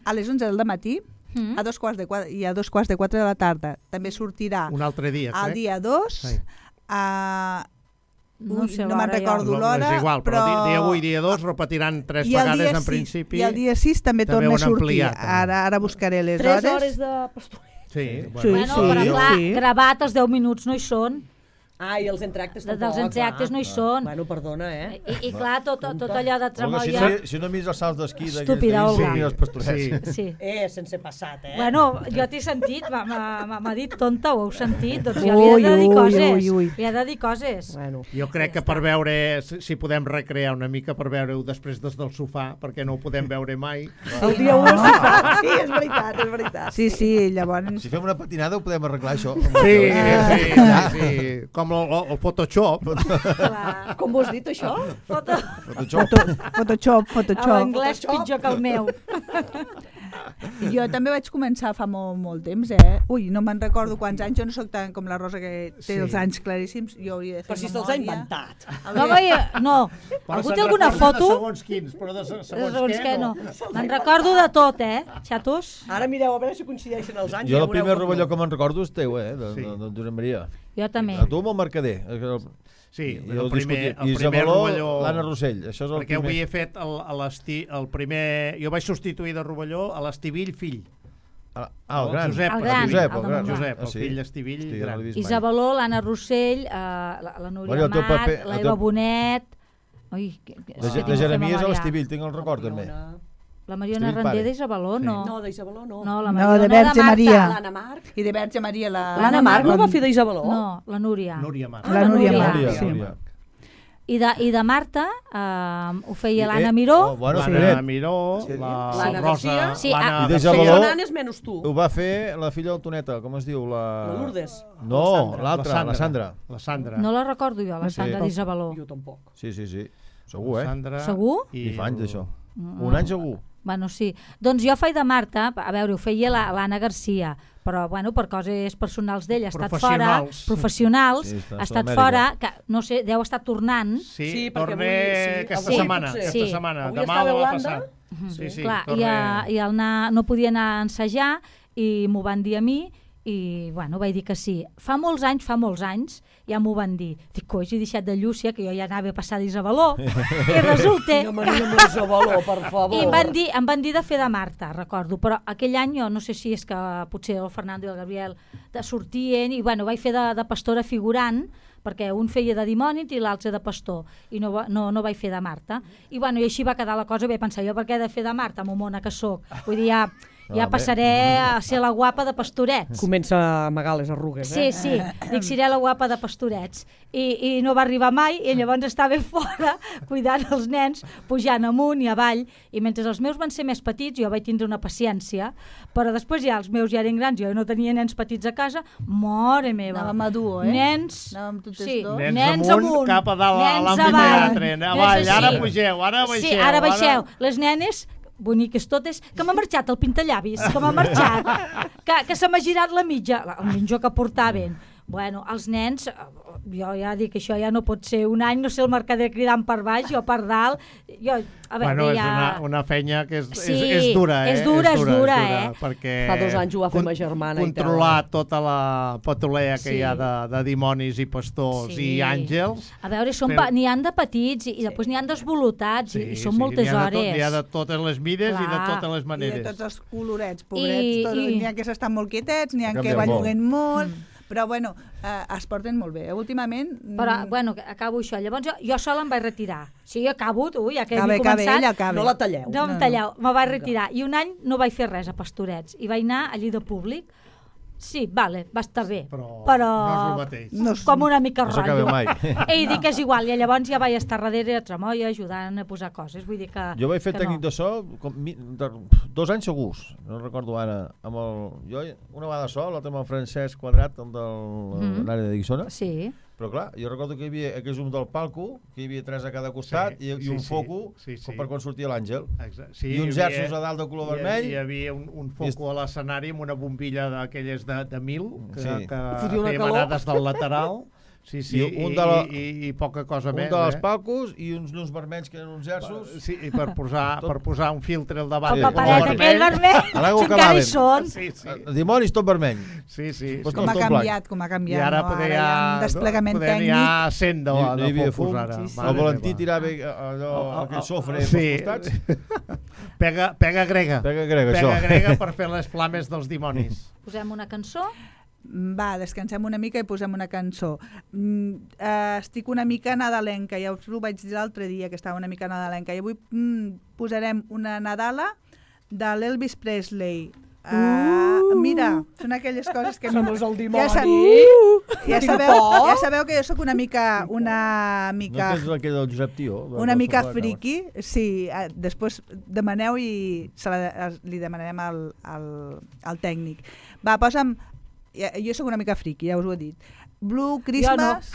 S3: a les 11 del matí a 3:15 i a 2:15 de la tarda. També sortirà
S6: un altre dia,
S3: el dia 2 a...
S4: No
S3: me'n recordo l'hora,
S6: és igual, però dia 1 i dia 2 repetiran 3 vegades en principi.
S3: I el dia 6 també torna a sortir. Ara buscaré les hores.
S5: 3 hores de pastor.
S6: Sí,
S4: però clar, gravat els 10 minuts no hi són.
S5: I els entractes tampoc.
S4: Dels entractes no hi són.
S5: Bueno, perdona,
S4: I clar, tot allò de tremolla...
S8: Si no mires els salts d'esquí
S4: estúpida, Olga.
S8: Els pastorets.
S4: Sí.
S5: Sense passat,
S4: Bueno, jo t'he sentit, m'ha dit tonta, ho heu sentit, doncs jo li he de dir coses. Li he de dir coses.
S6: Jo crec que per veure, si podem recrear una mica, per veure-ho després des del sofà, perquè no ho podem veure mai.
S5: El dia 1 al sofà. Sí, és veritat.
S3: Sí, llavors...
S8: Si fem una patinada ho podem arreglar, això.
S6: Sí. Com el Photoshop.
S5: Com vos dit, això?
S3: Photoshop.
S4: L'anglès pitjor que el meu.
S3: Jo també vaig començar fa molt temps, Ui, no me'n recordo quants anys, jo no sóc tant com la Rosa que té els anys claríssims, jo hauria de fer
S5: memòria. Però si se'ls ha inventat.
S4: No, algú té alguna foto?
S6: De segons quins, però de segons què no.
S4: Me'n recordo de tot, xatos?
S5: Ara mireu a veure si coincideixen els anys.
S8: Jo el primer rovelló que me'n recordo és teu, de Josep Maria.
S4: Jo també.
S8: A tu amb el mercader.
S6: Sí, el primer
S8: Rovelló, l'Anna Rossell. Això és el
S6: perquè avui he fet el primer... Jo vaig substituir de Rovelló a l'Estivill fill.
S8: El gran.
S6: Josep,
S4: El gran,
S8: Josep,
S4: el de Montblanc.
S6: Josep, el
S8: sí.
S6: fill d'Estivill
S8: Hosti,
S6: gran.
S8: no l'he vist mai.
S4: Isabeló, l'Anna Rossell, la Núria
S8: Bueno, el teu
S4: Amat,
S8: paper-
S4: la
S8: el
S4: Eva
S8: teu-
S4: Bonet... Ui,
S8: De Jeremies a l'Estivill, tinc el record també.
S4: La Mariona
S8: Estivill
S4: Randé
S8: pare.
S4: d'Isabeló, no.
S5: No, d'Isabeló no.
S4: No, la
S3: No,
S4: Mariona
S3: de Verge
S4: Marta.
S3: Maria.
S5: L'Anna Marc.
S3: I de Verge Maria,
S5: L'Anna Marc no va fer d'Isabeló?
S4: No, la Núria.
S6: Núria Mas.
S3: La Núria
S4: Núria.
S3: Mas, sí.
S8: Núria.
S4: I de Marta ho feia l'Anna
S8: Oh,
S4: Miró.
S8: bueno,
S6: L'Anna
S8: Fred,
S6: Miró,
S8: Sí.
S6: Rosa,
S5: L'Anna Garcia.
S4: Sí,
S6: l'Anna
S8: I de
S6: Garcia.
S8: Jabaló.
S5: Són nanes menys tu.
S8: ho va fer la filla del Toneta, com es diu?
S5: La Lourdes.
S8: No, l'altra, la Sandra.
S6: La Sandra.
S4: No la recordo jo, la
S8: Sí.
S4: Sandra d'Isabeló.
S5: Jo tampoc.
S8: Sí. Segur,
S6: La Sandra
S4: Segur?
S8: I fa anys d'això. Un any segur.
S4: Bueno, sí. Doncs jo faig de Marta, a veure, ho feia l'Anna Garcia, però bueno, per coses personals d'ella, ha estat fora, professionals,
S8: Sí, està
S4: ha
S8: a
S4: estat
S8: Sud-amèrica.
S4: fora, que no sé, deu estar tornant.
S6: Sí,
S5: Sí, perquè
S6: torna
S5: avui-
S6: aquesta
S4: sí,
S6: setmana.
S5: potser.
S6: Aquesta
S4: Sí.
S6: setmana.
S5: Avui
S6: Demà
S5: estava
S6: o
S5: a
S6: la
S5: Holanda.
S6: passada. Sí, sí,
S4: Clar,
S6: torna...
S4: i no podia anar a ensejar i m'ho van dir a mi i bueno, vaig dir que sí. Fa molts anys, ja m'ho van dir. Dic, coi, he deixat de Llúcia, que jo ja anava a passar d'Isabeló, i resulta...
S5: No m'anima amb l'Isabeló, per favor.
S4: I em van dir de fer de Marta, recordo, però aquell any jo no sé si és que potser el Fernando i el Gabriel sortien i bueno, vaig fer de pastora figurant, perquè un feia de dimònit i l'altre de pastor, i no vaig fer de Marta. I bueno, i així va quedar la cosa, vaig pensar, jo per què he de fer de Marta, momona que sóc? Vull dir, ja passaré a ser la guapa de pastorets.
S5: Comença a amagar les arrugues,
S4: Sí, dic, seré la guapa de pastorets. I no va arribar mai, i llavors estava fora cuidant els nens, pujant amunt i avall, i mentre els meus van ser més petits, jo vaig tindre una paciència, però després ja els meus ja eren grans, jo no tenia nens petits a casa, mare meva.
S3: Anàvem a duo,
S4: Nens,
S3: Anàvem totes
S4: sí,
S3: dos.
S6: Nens amunt, cap a dalt a
S4: nens
S6: l'amfiteatre. Avall, ara
S4: sí.
S6: pugeu, ara baixeu.
S4: Sí, ara baixeu. Les nenes boniques totes, que m'ha marxat el pintallavis, que m'ha marxat, que se m'ha girat la mitja, el mitjó que portaven. Bueno, els nens, jo ja dic que això ja no pot ser un any, no sé, el mercader cridant per baix, jo per dalt, jo, a veure,
S6: Bueno, és
S4: ja...
S6: una feina que és
S4: dura,
S6: és
S4: dura,
S6: perquè
S5: Fa 2 anys ho va fer ma germana.
S6: controlar tota la patolea que hi ha de dimonis i pastors i àngels.
S4: A veure, n'hi han de petits i després n'hi han desvolutats i són moltes hores.
S6: N'hi ha de totes les mides i de totes les
S3: I
S6: maneres.
S3: de tots els colorets, pobrets. N'hi ha que s'estan molt quietets, n'hi ha que
S8: Canvien
S3: balluguen molt. Però, bueno, es porten molt bé. Últimament...
S4: Però, bueno, acabo això. Llavors jo sola em vaig retirar. Sí, acabo, ja que
S3: Cabe,
S4: he començat.
S3: ella cabe.
S5: No la talleu.
S4: No em talleu, me vaig retirar. I un any no vaig fer res a Pastorets. I vaig anar allí de públic. Sí, vale, va estar bé.
S6: Però
S4: però
S6: no és el mateix.
S3: No és-
S4: com una mica
S8: No s'acaba
S4: rotllo.
S8: mai.
S4: I dic que és igual. I llavors ja vaig estar darrere a Tremolla ajudant a posar coses. Vull dir que...
S8: Jo vaig fer
S4: que
S8: tècnic
S4: no.
S8: de so 2 anys segurs, no recordo ara. Jo una vegada sol, l'altre amb el Francesc Quadrat, el de l'àrea de Guissona.
S4: Sí.
S8: Però clar, jo recordo que hi havia aquell zoom del palco, que hi havia 3 a cada costat i un foco per quan sortia l'àngel.
S6: Sí,
S8: I uns gersos a dalt de color vermell.
S6: Hi havia un foco a l'escenari amb una bombilla d'aquelles de 1000 que
S5: fotia una
S6: feia
S5: calor.
S6: manades del lateral. Sí, i poca cosa
S8: Un
S6: més.
S8: de les palcos i uns llums vermells que eren uns gersos.
S6: Sí, i per posar un filtre al davant.
S4: El paperet aquell vermell,
S8: A l'aigua
S4: que encara hi
S8: calaven.
S4: són.
S6: Sí.
S8: Dimonis tot vermell.
S6: Sí.
S8: Pues
S3: Com ha canviat, com ha canviat.
S6: I ara
S3: no?
S6: poder
S3: Ara hi ha un desplegament tècnic.
S6: hi ha 100
S8: No hi
S6: de
S8: havia
S6: focus
S8: fum.
S6: ara.
S3: Sí.
S8: El Valentí tirava allò, aquell sofre pels costats.
S6: Pega grega.
S8: Pega grega, això.
S6: Pega grega per fer les flames dels dimonis.
S4: Posem una cançó.
S3: Va, descansem una mica i posem una cançó. Estic una mica nadalenca, ja us ho vaig dir l'altre dia, que estava una mica nadalenca, i avui posarem una Nadala de l'Elvis Presley. Mira, són aquelles coses que...
S5: Som el dimoni.
S3: Ja sabeu que jo sóc una mica...
S8: No tens aquell del Josep Tio?
S3: Una mica friki, sí. Després demaneu i li demanarem al tècnic. Va, posa'm... Jo sóc una mica friki, ja us ho he dit. Blue Christmas,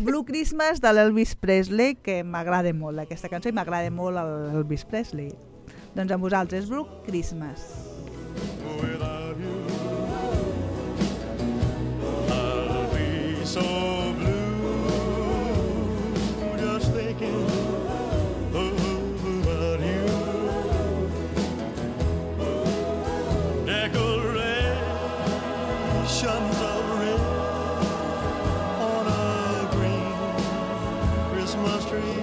S3: Blue Christmas de l'Elvis Presley, que m'agrada molt aquesta cançó i m'agrada molt l'Elvis Presley. Doncs amb vosaltres, Blue Christmas.
S7: Without you, I'll be so blue, just thinking about you. Decorations of red on a green Christmas tree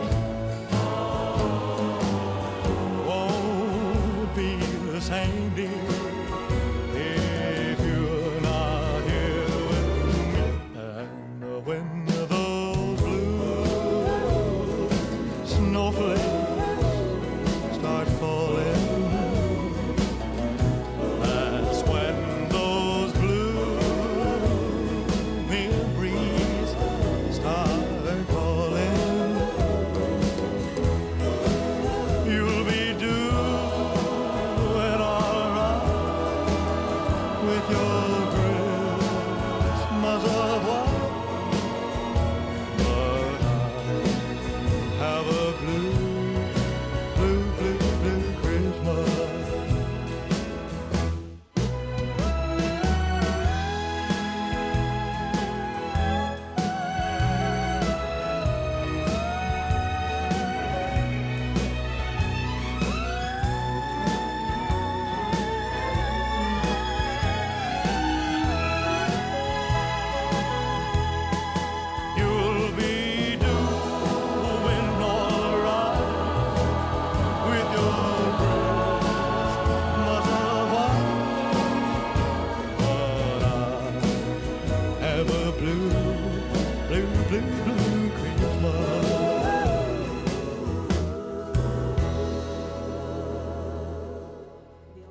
S7: won't be the same, dear,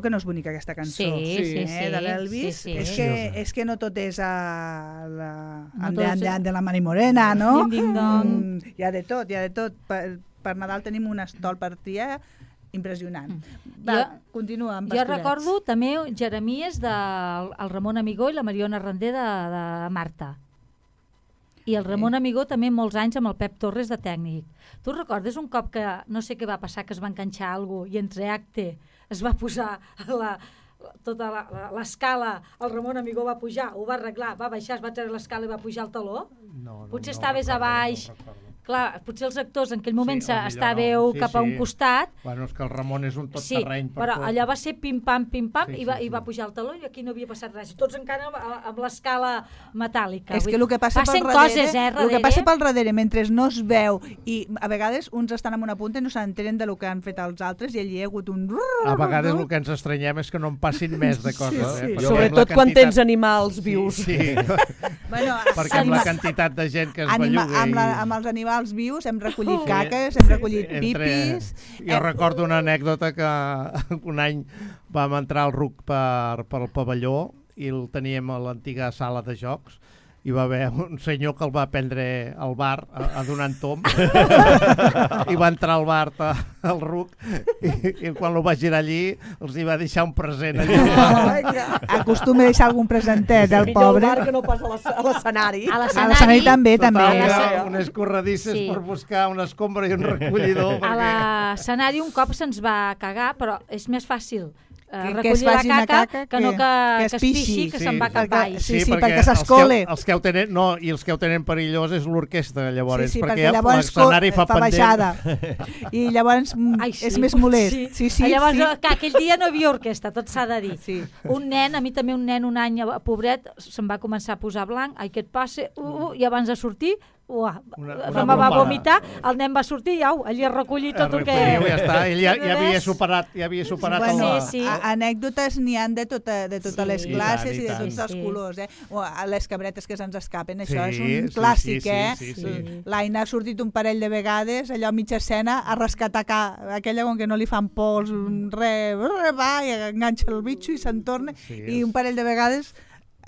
S3: que no és bonica aquesta cançó.
S4: Sí.
S3: De l'Elvis.
S4: Sí.
S3: És que no tot és de la Mari Morena, no? Hi ha de tot. Per Nadal tenim un estol per triar impressionant. Continua amb Pastorets.
S4: Jo recordo també Jeremies del Ramon Amigó i la Mariona Render de Marta. I el Ramon Amigó també molts anys amb el Pep Torres de tècnic. Tu recordes un cop que no sé què va passar, que es va enganxar alguna cosa i entre acte es va posar tota l'escala, el Ramon Amigó va pujar, ho va arreglar, va baixar, es va treure l'escala i va pujar el taló? Potser estaves a baix... Clar, potser els actors en aquell moment estàveu cap a un costat.
S6: Bueno, és que el Ramon és un tot terreny.
S4: Sí, però allò va ser pim-pam, i va pujar el taló i aquí no havia passat res. Tots encara amb l'escala metàl·lica.
S3: És que el que passa pel darrere, mentre no es veu, i a vegades uns estan en una punta i no s'entenen del que han fet els altres i allí hi ha hagut un...
S6: A vegades el que ens estranyem és que no en passin més de coses.
S5: Sobretot quan tens animals vius.
S6: Sí. Perquè amb la quantitat de gent que es belluga...
S3: Amb els animals vius hem recollit caques, hem recollit pipis...
S6: Jo recordo una anècdota que un any vam entrar al RUC pel pavelló i el teníem a l'antiga sala de jocs i va haver un senyor que el va prendre al bar a donar en tom i va entrar al bar al RUC i quan el va girar allí els hi va deixar un present allí.
S3: Acostuma a deixar algun presentet el pobre.
S5: I al bar que no pas a l'escenari.
S3: A l'escenari també.
S6: Unes corredisses per buscar una escombra i un recollidor.
S4: A l'escenari un cop se'ns va cagar, però és més fàcil
S3: recollir la caca que no que es pixi,
S4: que se'n va cap baix.
S3: Sí, perquè s'escole.
S6: Els que ho tenen perillós és l'orquestra, llavors,
S3: perquè l'escenari fa baixada. I llavors és més molest.
S4: Llavors, aquell dia no hi havia orquestra, tot s'ha de dir. Un nen, a mi també un nen un any, pobret, se'n va començar a posar blanc, ai, què et passa? I abans de sortir, me va vomitar, el nen va sortir i allí a recollir tot el que...
S6: Ja està, ell ja havia superat
S3: anècdotes n'hi han de totes les classes i de tots els colors. Les cabretes que se'ns escapen, això és un clàssic. L'Aina ha sortit un parell de vegades, allò a mitja escena, a rescatar aquella com que no li fan pols, va i enganxa el bitxo i se'n torna, i un parell de vegades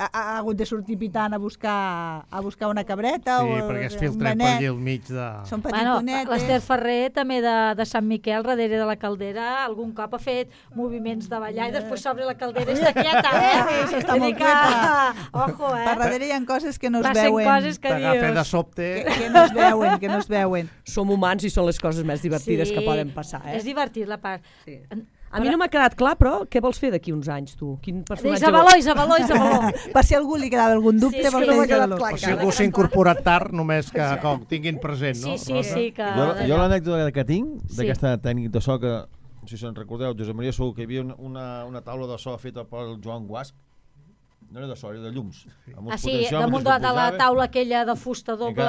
S3: ha hagut de sortir pitant a buscar una cabreta.
S6: Sí, perquè es filtra per allà al mig de...
S3: Són petitonetes.
S4: L'Ester Ferrer, també de Sant Miquel, darrere de la caldera, algun cop ha fet moviments de ballar i després s'obre la caldera i està quieta,
S3: Està molt quieta.
S4: Ojo,
S3: Per darrere hi ha coses que no es veuen.
S6: T'agafen de sobte.
S3: Que no es veuen.
S5: Som humans i són les coses més divertides que poden passar.
S4: És divertit la part.
S5: A mi no m'ha quedat clar, però què vols fer d'aquí uns anys, tu? Quin personatge...
S4: Isabeló.
S3: Per si algú li quedava algun dubte,
S5: no m'ha quedat clar.
S6: Per si algú s'ha incorporat tard, només que ho tinguin present, no?
S4: Sí.
S8: Jo l'anècdota que tinc d'aquesta tècnica de so que, si se'n recordeu, Josep Maria Sou, que hi havia una taula de so feta pel Joan Guasc, no era de so, era de llums.
S4: Damunt de la taula aquella de fusta doble.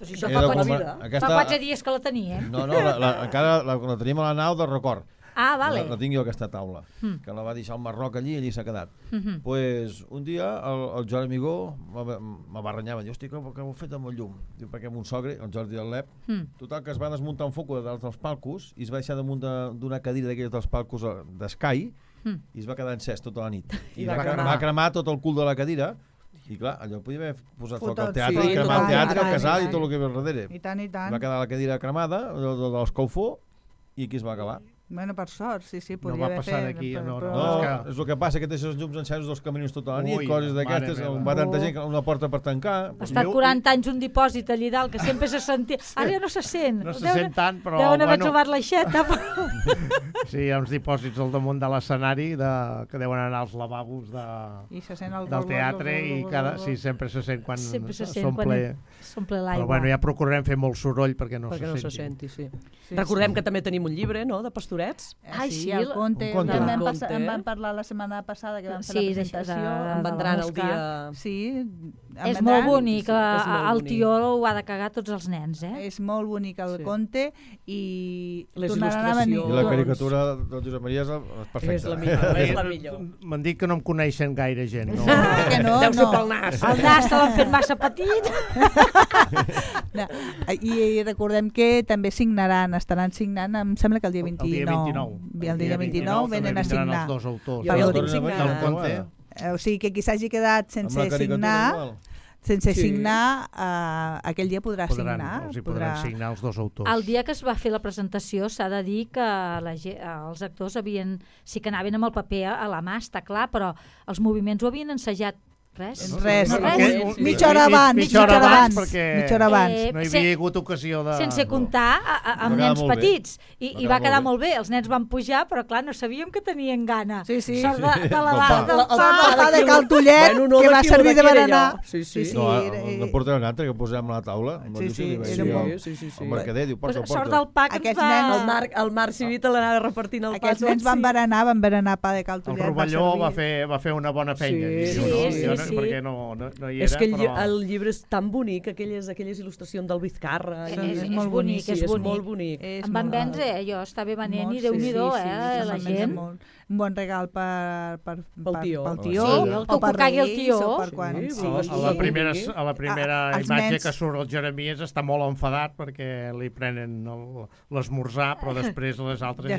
S4: Això fa 4 dies que la teníem.
S8: No, encara la teníem a la nau de record.
S4: Vale.
S8: La tinc jo, aquesta taula, que la va deixar el Marroc allí i allí s'ha quedat. Pues, un dia el Joan Amigó me va renyar, va dir, hosti, què heu fet amb el llum? Diu, perquè mon sogre, el Jordi del Lep, total que es va desmuntar un foc dels palcos i es va deixar damunt d'una cadira d'aquelles dels palcos d'Sky i es va quedar encès tota la nit. I va cremar tot el cul de la cadira. I clar, allò podia haver posat foc al teatre, i cremar el teatre, el casal i tot el que ve al darrere.
S3: I tant.
S8: Va quedar la cadira cremada, de l'escalfor, i aquí es va acabar.
S3: Bueno, per sort, sí, podria
S6: no va
S3: haver
S6: passar
S3: fet...
S6: d'aquí,
S8: No, és el que passa, que té els llums encesos dels camins tota la nit, coses d'aquestes, on va tanta gent, una porta per tancar...
S4: Ha estat 40 anys un dipòsit allí dalt, que sempre se sentia... Ara ja no se sent.
S6: No se sent tant, però...
S4: Deuen haver trobat l'aixeta.
S6: Sí, hi ha uns dipòsits al damunt de l'escenari que deuen anar als lavabos del teatre i sempre se sent quan
S4: s'omple l'aigua.
S6: Però bueno, ja procurarem fer molt soroll perquè no se
S5: senti. Recordem que també tenim un llibre, no?, de Pastorets.
S3: Sí, el conte. En vam parlar la setmana passada que vam fer la presentació.
S5: En vendran el dia...
S3: Sí,
S4: És molt bonic, el tió ho ha de cagar tots els nens,
S3: És molt bonic el conte i
S5: les
S3: tornaran a venir.
S8: I la caricatura del Josep Maria és perfecta.
S5: És la millor, és la millor.
S6: M'han dit que no em coneixen gaire gent. No?
S3: Que no,
S5: Deu ser pel nas.
S4: El nas te l'han fet massa petit.
S3: I recordem que també estaran signant, em sembla que el dia 29. El dia 29 venen a signar.
S6: Els dos autors.
S5: Jo el tinc signat.
S6: Del conte.
S3: O sigui que qui s'hagi quedat sense signar, aquell dia podrà signar.
S6: Els hi podran signar els dos autors.
S4: El dia que es va fer la presentació s'ha de dir que els actors sí que anaven amb el paper a la mà, està clar, però els moviments ho havien ensajat. Res.
S3: Mitja hora abans.
S6: Mitja hora abans. No hi havia hagut ocasió de...
S4: Sense comptar amb nens petits. I va quedar molt bé. Els nens van pujar, però clar, no sabíem que tenien gana.
S3: Sí.
S4: Sort de la
S3: del pa de Caltollet, que va servir de berenar.
S8: Sí. No portarà un altre, que posem a la taula.
S3: Sí.
S8: El mercader diu, porta.
S4: Sort del pa que ens va...
S5: El Marc Civita l'anava repartint el pa.
S3: Aquests nens van berenar pa de Caltollet.
S6: El Rovelló va fer una bona feina.
S4: Sí.
S6: Perquè no hi era,
S5: és que el llibre és tan bonic, aquelles il·lustracions del Vizcarra.
S4: És molt bonic, és
S5: molt bonic.
S4: Em van vendre, jo estava venent i Déu-n'hi-do, la gent.
S3: Un bon regal pel tió.
S4: El que cagui el tió.
S6: A la primera imatge que surt el Jeremies està molt enfadat perquè li prenen l'esmorzar, però després les altres ja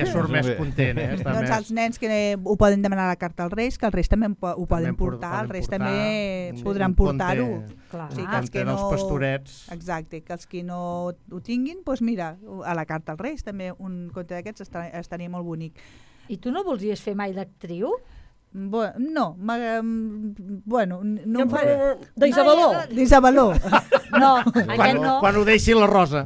S6: surt més content.
S3: Doncs els nens que ho poden demanar a la carta als Reis, que els Reis també ho poden portar, els Reis també podran portar-ho.
S6: Un conte dels pastorets.
S3: Exacte, que els que no ho tinguin, doncs mira, a la carta als Reis també un conte d'aquests estaria molt bonic.
S4: I tu no volies fer mai d'actriu?
S3: No,
S5: d'Isabeló.
S3: D'Isabeló.
S4: No, aquest no.
S6: Quan ho deixi la Rosa.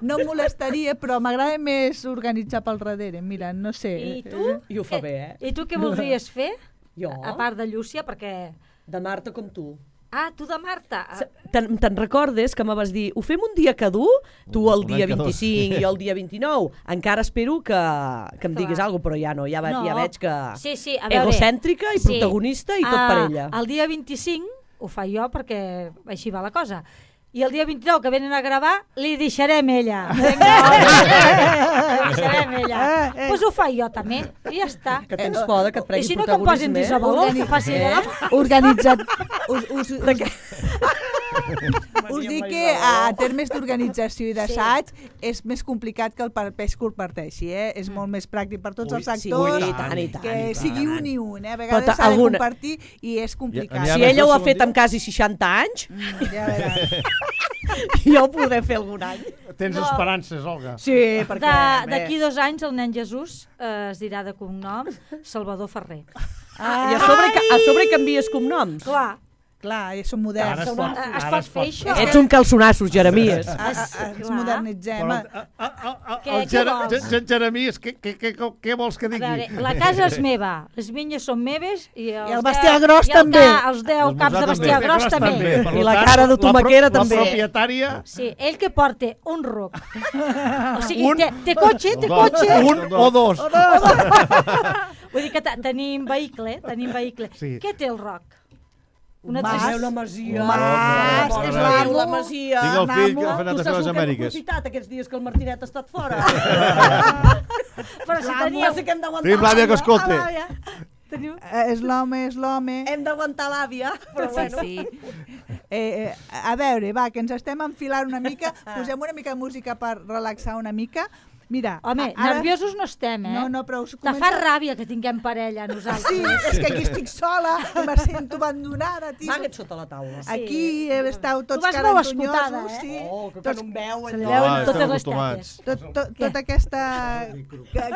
S3: No em molestaria, però m'agrada més organitzar pel darrere. Mira, no sé.
S4: I tu?
S5: I ho fa bé,
S4: I tu què voldries fer?
S5: Jo?
S4: A part de Llúcia, perquè...
S5: De Marta com tu.
S4: Ah, tu de Marta.
S5: Te'n recordes que me vas dir, ho fem un dia que dur? Tu el dia 25 i el dia 29. Encara espero que em diguis alguna cosa, però ja no, ja veig que...
S4: Sí, a veure...
S5: Egocèntrica i protagonista i tot per ella.
S4: El dia 25 ho fa jo perquè així va la cosa. I el dia 29 que venen a gravar, li deixarem ella. Li deixarem ella. Doncs ho fa jo també, i ja està.
S5: Que tens por que et pregui protagonisme.
S4: I si no que em posin d'Isabeló, que faci ella.
S3: Organitzat... Us dic que a termes d'organització i d'assaig és més complicat que el pes que comparteixi. És molt més pràctic per tots els actors que sigui un i un. A vegades s'ha de compartir i és complicat.
S5: Si ella ho ha fet amb quasi 60 anys,
S3: ja veràs.
S5: Jo ho podré fer algun any.
S6: Tens esperances, Olga?
S5: Sí, perquè...
S4: D'aquí 2 anys el nen Jesús es dirà de cognom Salvador Ferrer.
S5: I a sobre canvies cognoms?
S3: Clar, som moderns.
S4: Es pot fer això?
S5: Ets un calçonassos, Jeremies.
S3: Ens modernitzem.
S6: Jeremies, què vols que digui?
S4: La casa és meva, les vinyes són meves i
S3: el bestiar gros també.
S4: Els 10 caps de bestiar gros també.
S5: I la cara de tomaquera també.
S6: La propietària...
S4: Sí, ell que porta un ruc. O sigui, té cotxe, té cotxe.
S6: Un o dos.
S4: Vull dir que tenim vehicle. Què té el roc?
S5: La Masia.
S3: És l'amo.
S5: La Masia.
S8: Tinc el fill que ha anat a fer les Amèriques.
S5: Tu saps el que hem aprofitat aquests dies que el Martinet ha estat fora?
S4: Però si teníeu...
S8: Tenim l'àvia que escolta.
S3: És l'home.
S5: Hem d'aguantar l'àvia.
S3: Sí. A veure, va, que ens estem enfilant una mica. Posem una mica de música per relaxar una mica. Mira,
S4: home, nerviosos no estem,
S3: No, però
S4: te fa ràbia que tinguem parella, nosaltres.
S3: Sí, és que aquí estic sola, me sento abandonada.
S5: Amaga't sota la taula.
S3: Aquí esteu tots
S4: carantonyosos.
S5: Que no em veuen.
S4: Se li veuen totes les cates.
S3: Tota aquesta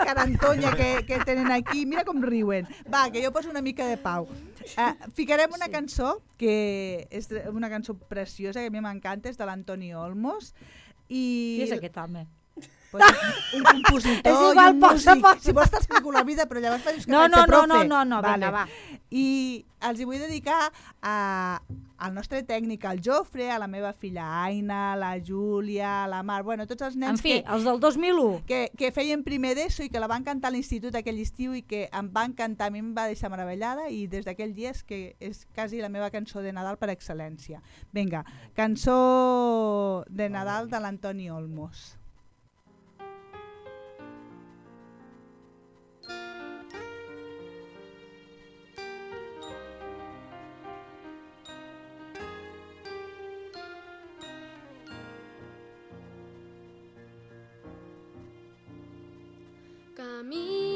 S3: carantonya que tenen aquí, mira com riuen. Va, que jo poso una mica de pau. Ficarem una cançó, que és una cançó preciosa, que a mi m'encanta, és de l'Antoni Olmos.
S4: Qui és aquest home?
S3: Un compositor
S4: És igual,
S3: i un músic.
S4: posa.
S3: Si vols t'explico la vida, però llavors penses que
S4: No,
S3: faig de profe.
S4: no, vinga, va.
S3: I els hi vull dedicar al nostre tècnic, al Jofre, a la meva filla Aina, a la Júlia, a la Mar, bueno, tots els nens
S4: En fi, els del 2001.
S3: que feien primer d'ESO i que la van cantar a l'institut aquell estiu i que em van cantar, a mi em va deixar meravellada i des d'aquell dia és quasi la meva cançó de Nadal per excel·lència. Vinga, cançó de Nadal de l'Antoni Olmos.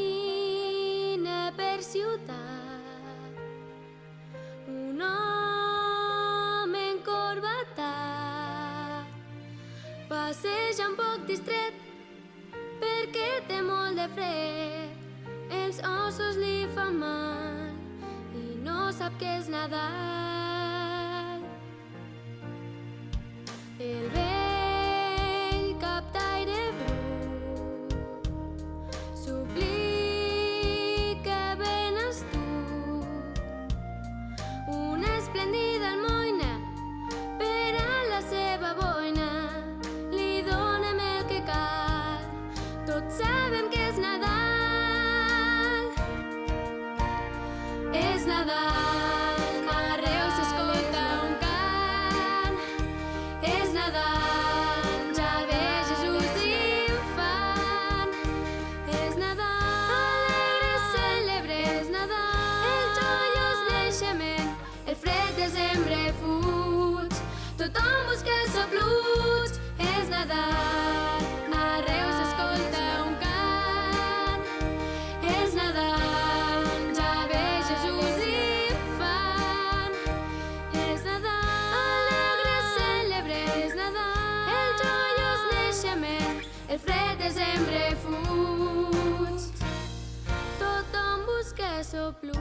S9: Camina per ciutat un home encorbatat, passeja un poc distret perquè té molt de fred, els ossos li fan mal i no sap què és Nadal. El vell captaire brut suplica venes tu, una esplèndida almoina per a la seva boina, li donem el que cal, tots sabem que és Nadal. És Nadal, arreu s'escolta un cant, és Nadal, ja ve Jesús infant. És Nadal, alegre celebre, és Nadal, el joiós naixement, el fred desembre fuig, tothom busca sopluig. És Nadal, arreu s'escolta un cant, és Nadal, ja ve Jesús infant. És Nadal, alegre celebre, és Nadal, el joiós naixement, el fred desembre fuig, tothom busca sopluig.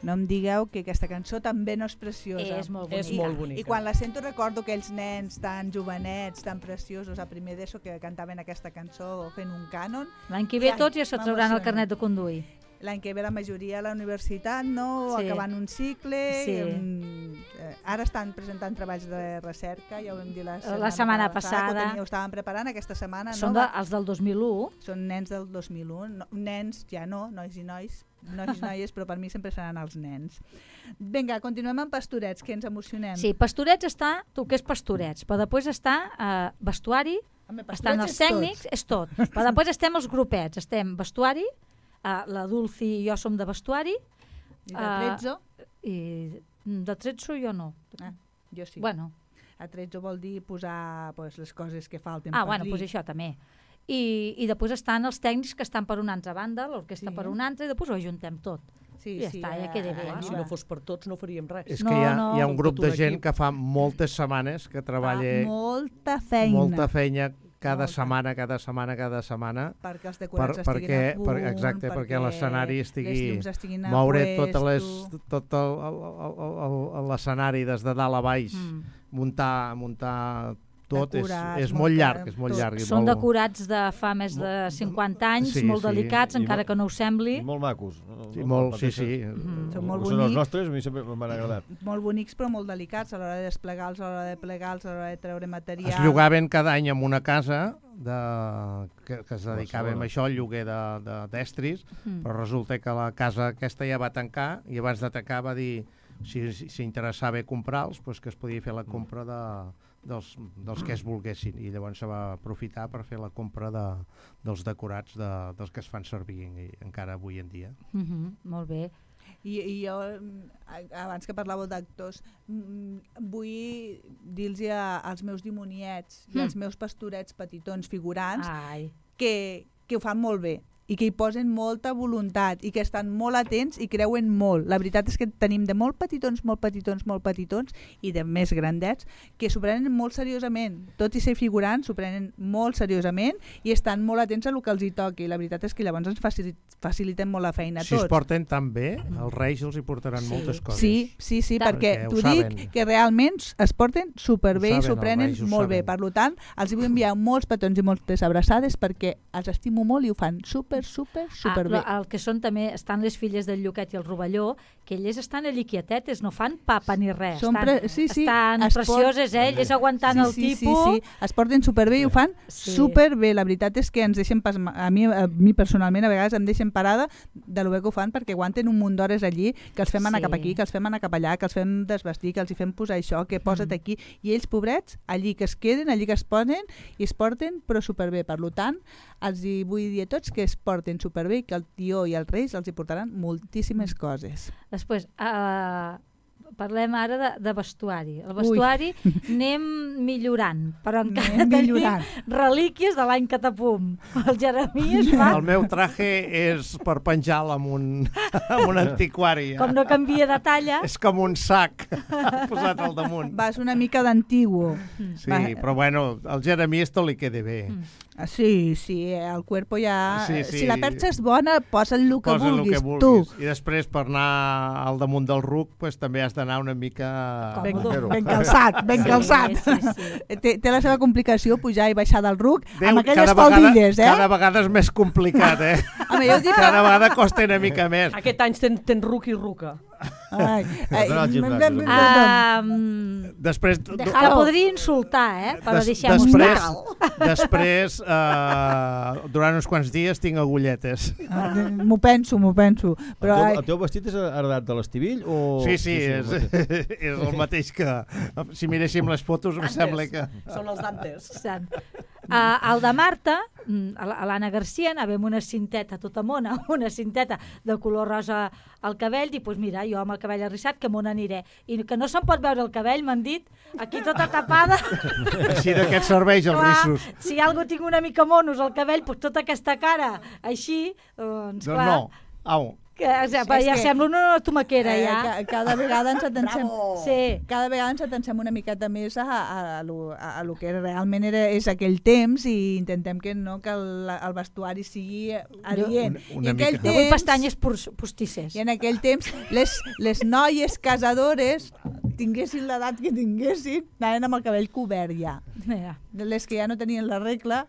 S3: No em digueu que aquesta cançó també no és preciosa.
S4: És molt bonica.
S5: És molt bonica.
S3: I quan la sento recordo aquells nens tan jovenets, tan preciosos a primer d'ESO que cantaven aquesta cançó fent un cànon.
S4: L'any que ve
S3: I, ai,
S4: tots ja se trauran el
S3: m'emociona.
S4: carnet de conduir.
S3: L'any que ve la majoria a la universitat, no?
S4: Sí.
S3: Acabant un cicle.
S4: Sí.
S3: Ara estan presentant treballs de recerca, ja ho vam dir la
S4: setmana
S3: que
S4: passada.
S3: ho estàvem preparant aquesta setmana.
S4: Són
S3: no?
S4: els del 2001.
S3: Són nens del 2001, nens ja no, nois i noies, però per mi sempre seran els nens. Vinga, continuem amb Pastorets, que ens emocionem.
S4: Sí, Pastorets està, tu que és Pastorets, però després està vestuari,
S3: Home, Pastorets
S4: estan els
S3: és
S4: tècnics, és tot. Però després estem els grupets, estem vestuari, la Dulci i jo som de vestuari.
S3: I de Trezzo?
S4: I de Trezzo jo no.
S3: Jo sí.
S4: Bueno.
S3: A Trezzo vol dir posar les coses que falten
S4: Ah,
S3: per
S4: bueno,
S3: dir.
S4: doncs això també. I després estan els tècnics que estan per una altra banda, l'orquestra per una altra, i després ho ajuntem tot.
S3: Sí,
S4: I ja està, ja queda bé.
S5: Si no fos per tots no faríem res.
S6: És que hi ha un grup de gent que fa moltes setmanes que treballa
S3: molta feina.
S6: Molta feina cada setmana.
S3: Perquè els decorats estiguin a punt,
S6: exacte, perquè l'escenari estigui...
S3: les llums estiguin a
S6: moure
S3: puesto.
S6: tot l'escenari des de dalt a baix, muntar tot, és molt llarg.
S4: Són decorats de fa més de 50 anys, molt delicats, encara que no ho sembli.
S8: I molt macos.
S6: Sí.
S3: Són molt bonics.
S8: Són els nostres, a mi sempre m'han agradat.
S3: Molt bonics, però molt delicats, a l'hora de desplegar-los, a l'hora de plegar-los, a l'hora de treure material.
S6: Es llogaven cada any en una casa que es dedicava a això, al lloguer d'estris, però resulta que la casa aquesta ja va tancar i abans de tancar va dir si interessava comprar-los, que es podia fer la compra dels que es volguessin, i llavors se va aprofitar per fer la compra dels decorats dels que es fan servir encara avui en dia.
S4: Molt bé.
S3: I jo, abans que parlàveu d'actors, vull dir-los als meus dimoniets i als meus pastorets petitons figurants que ho fan molt bé. i que hi posen molta voluntat i que estan molt atents i creuen molt. La veritat és que tenim de molt petitons i de més grandets que s'ho prenen molt seriosament. Tot i ser figurants, s'ho prenen molt seriosament i estan molt atents a el que els hi toqui. La veritat és que llavors ens faciliten molt la feina a tots.
S6: Si es porten tan bé, els Reis els hi portaran moltes coses.
S3: Sí, perquè t'ho dic que realment es porten superbé i s'ho prenen molt bé. Per tant, els vull enviar molts petons i moltes abraçades perquè els estimo molt i ho fan superbé.
S4: El que són també, estan les filles del Lluquet i el Rovelló, que elles estan allí quietetes, no fan papa ni res. Estan precioses, elles aguantant el tipus.
S3: Sí, es porten superbé i ho fan superbé. La veritat és que ens deixen, a mi personalment, a vegades em deixen parada de lo bé que ho fan perquè aguanten un munt d'hores allí, que els fem anar cap aquí, que els fem anar cap allà, que els fem desvestir, que els hi fem posar això, que posa't aquí. I ells, pobrets, allí que es queden, allí que es ponen i es porten, però superbé. Per tant, els hi vull dir a tots que es porten superbé i que el tió i els Reis els hi portaran moltíssimes coses.
S4: Després, parlem ara de vestuari. El vestuari anem millorant, però encara tenim relíquies de l'any Catapum. El Jeremies fa...
S6: El meu traje és per penjar-lo amb un antiquari.
S4: Com no canvia de talla...
S6: És com un sac posat al damunt.
S3: Vas una mica d'antiguo.
S6: Sí, però bueno, al Jeremies tot li queda bé.
S3: Sí, el cuerpo ja... Si la perxa és bona, posa-li el que vulguis, tu.
S6: I després, per anar al damunt del ruc, també has d'anar una mica...
S3: Ben calçat. Té la seva complicació pujar i baixar del ruc amb aquelles faldilles,
S6: Cada vegada és més complicat, Cada vegada costa una mica més.
S5: Aquest any tens ruc i ruca.
S6: Després
S4: la podria insultar, però deixem-ho estar.
S6: Després, durant uns quants dies tinc agulletes.
S3: M'ho penso.
S8: El teu vestit és heredat de l'Estivill?
S6: Sí, és el mateix que... Si miréssim les fotos em sembla que...
S5: Són els d'antes.
S4: El de Marta, a l'Anna Garcia, anàvem una cinteta tota mona, una cinteta de color rosa al cabell, i doncs mira, jo amb el cabell arrissat, que m'on aniré. I que no se'n pot veure el cabell, m'han dit, aquí tota tapada.
S6: Així d'aquest serveix els rissos.
S4: Si algú tinc una mica monos al cabell, doncs tota aquesta cara així, doncs clar.
S6: No, au.
S4: Ja sembla una tomaquera, ja.
S3: Cada vegada ens atencem una miqueta més a lo que realment és aquell temps i intentem que el vestuari sigui adient.
S4: No vull pestanyes postisses.
S3: I en aquell temps les noies casadores, tinguessin l'edat que tinguessin, anaven amb el cabell cobert ja. Les que ja no tenien la regla...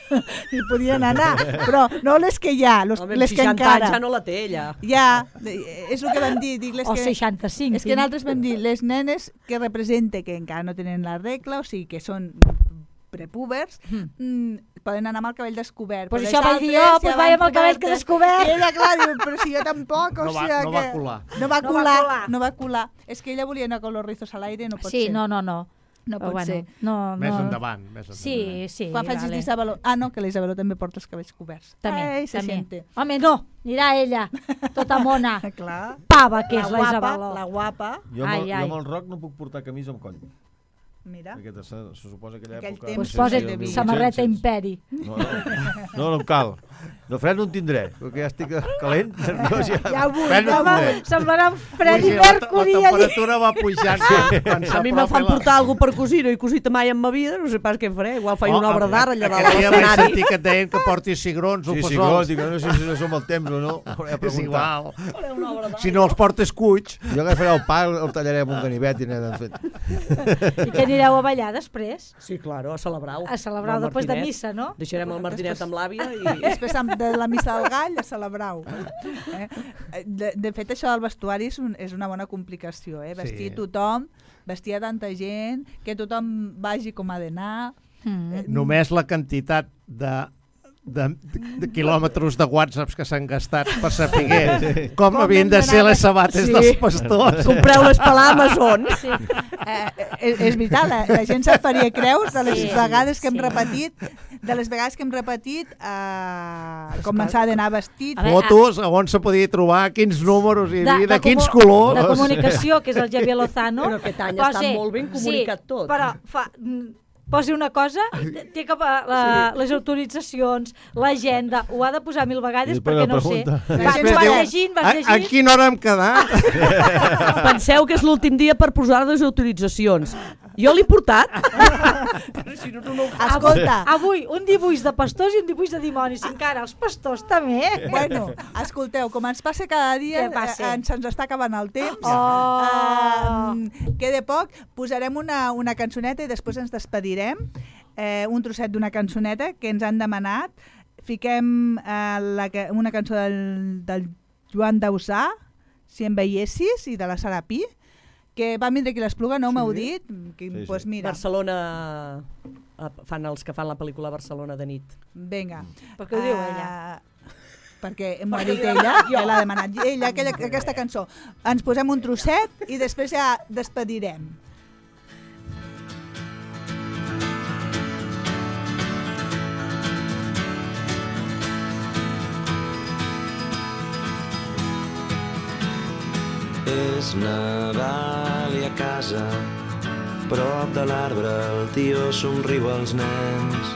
S3: i podien anar, però no les que hi ha, les que encara...
S5: ja no la té ella.
S3: Ja, és el que vam dir.
S4: O 65.
S3: És que nosaltres vam dir, les nenes que representen que encara no tenen la regla, o sigui que són prepúbers, poden anar amb el cabell descobert.
S4: Pues això vaig dir jo, pues vaig amb el cabell que descobert.
S3: I ella, clar, diu, però si jo tampoc, o sigui
S6: que...
S3: No va colar. És que ella volia anar con los rizos al aire, no pot ser.
S4: Sí, no.
S3: No pot ser.
S6: Més endavant.
S4: Sí.
S3: Quan facis l'Isabeló... que l'Isabeló també porta els cabells coberts.
S4: També. Home, no, anirà ella, tota mona.
S3: Clar.
S4: Pava, que és la Isabeló.
S3: La guapa.
S8: Jo amb el roc no puc portar camisa amb coll.
S3: Mira.
S8: Se suposa que aquella època...
S4: Doncs posa't samarreta Imperi.
S8: No em cal. De fred no en tindré, perquè ja estic calent.
S3: Ja ho vull.
S4: Semblarà un Freddie Mercury.
S6: La temperatura va pujant.
S5: A mi me fan portar alguna per cosir, no he cosit mai en ma vida, no sé pas què faré. Igual faig una obra d'art allà dalt.
S6: Aquest dia vaig sentir que et deien que portis cigrons o fessols.
S8: Sí, cigrons, dic, no sé si som al temps o no.
S6: És igual. Si no els portes cuits.
S8: Jo agafaré el pa, el tallaré amb un ganivet i n'he fet.
S4: I que anireu a ballar després?
S5: Sí, claro, a celebrar-ho.
S4: A celebrar-ho després de missa, no?
S5: Deixarem el Martinet amb l'àvia i...
S3: Després de la missa del gall a celebrar-ho. De fet, això del vestuari és una bona complicació. Vestir tothom, vestir a tanta gent, que tothom vagi com ha d'anar.
S6: Només la quantitat de quilòmetres de whatsapps que s'han gastat per saber com havien de ser les sabates dels pastors.
S5: Compreu-les per l'Amazon.
S3: És veritat, la gent se'n faria creus de les vegades que hem repetit com s'ha d'anar vestit.
S6: Fotos, on se podia trobar, quins números hi havia, de quins colors.
S4: De comunicació, que és el Javier Lozano.
S5: Però aquest any està molt ben comunicat tot.
S4: Però posi una cosa, té que les autoritzacions, l'agenda, ho ha de posar 1000 vegades perquè no sé. Vas llegint.
S6: A quina hora hem quedat?
S5: Penseu que és l'últim dia per posar les autoritzacions. Jo l'he portat.
S3: Escolta.
S4: Avui, un dibuix de pastors i un dibuix de dimonis. Encara, els pastors també.
S3: Bueno, escolteu, com ens passa cada dia, se'ns està acabant el temps. Queda poc. Posarem una cançoneta i després ens despedirem. Un trosset d'una cançoneta que ens han demanat. Fiquem una cançó del Joan Dausà, Si em veiessis, i de la Sara Pi, que va vindre aquí l'Espluga, no m'heu dit? Pues mira.
S5: Barcelona, fan els que fan la pel·lícula Barcelona de nit.
S3: Vinga.
S4: Per què ho diu ella?
S3: Perquè m'ho ha dit ella, ja l'ha demanat ella, aquesta cançó. Ens posem un trosset i després ja despedirem.
S10: És Nadal i a casa, prop de l'arbre, el tio somriu als nens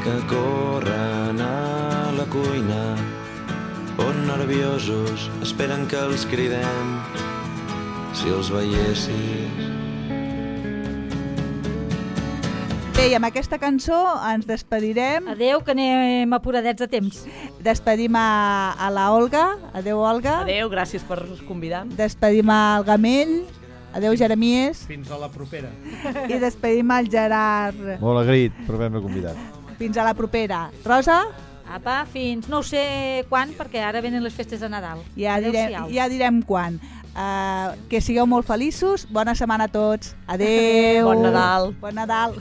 S10: que corren a la cuina, on nerviosos esperen que els cridem. Si els veiessis.
S3: Bé, i amb aquesta cançó ens despedirem.
S4: Adeu, que anem apuradets de temps.
S3: Despedim a la Olga. Adeu, Olga.
S5: Adeu, gràcies per convidar.
S3: Despedim al Gamell. Adeu, Jeremies.
S6: Fins a la propera.
S3: I despedim al Gerard.
S8: Molt agraït per haver-me convidat.
S3: Fins a la propera. Rosa?
S4: Apa, fins no ho sé quan, perquè ara venen les festes de Nadal.
S3: Ja direm quan. Que sigueu molt feliços. Bona setmana a tots. Adeu.
S5: Bon Nadal.
S3: Bon Nadal.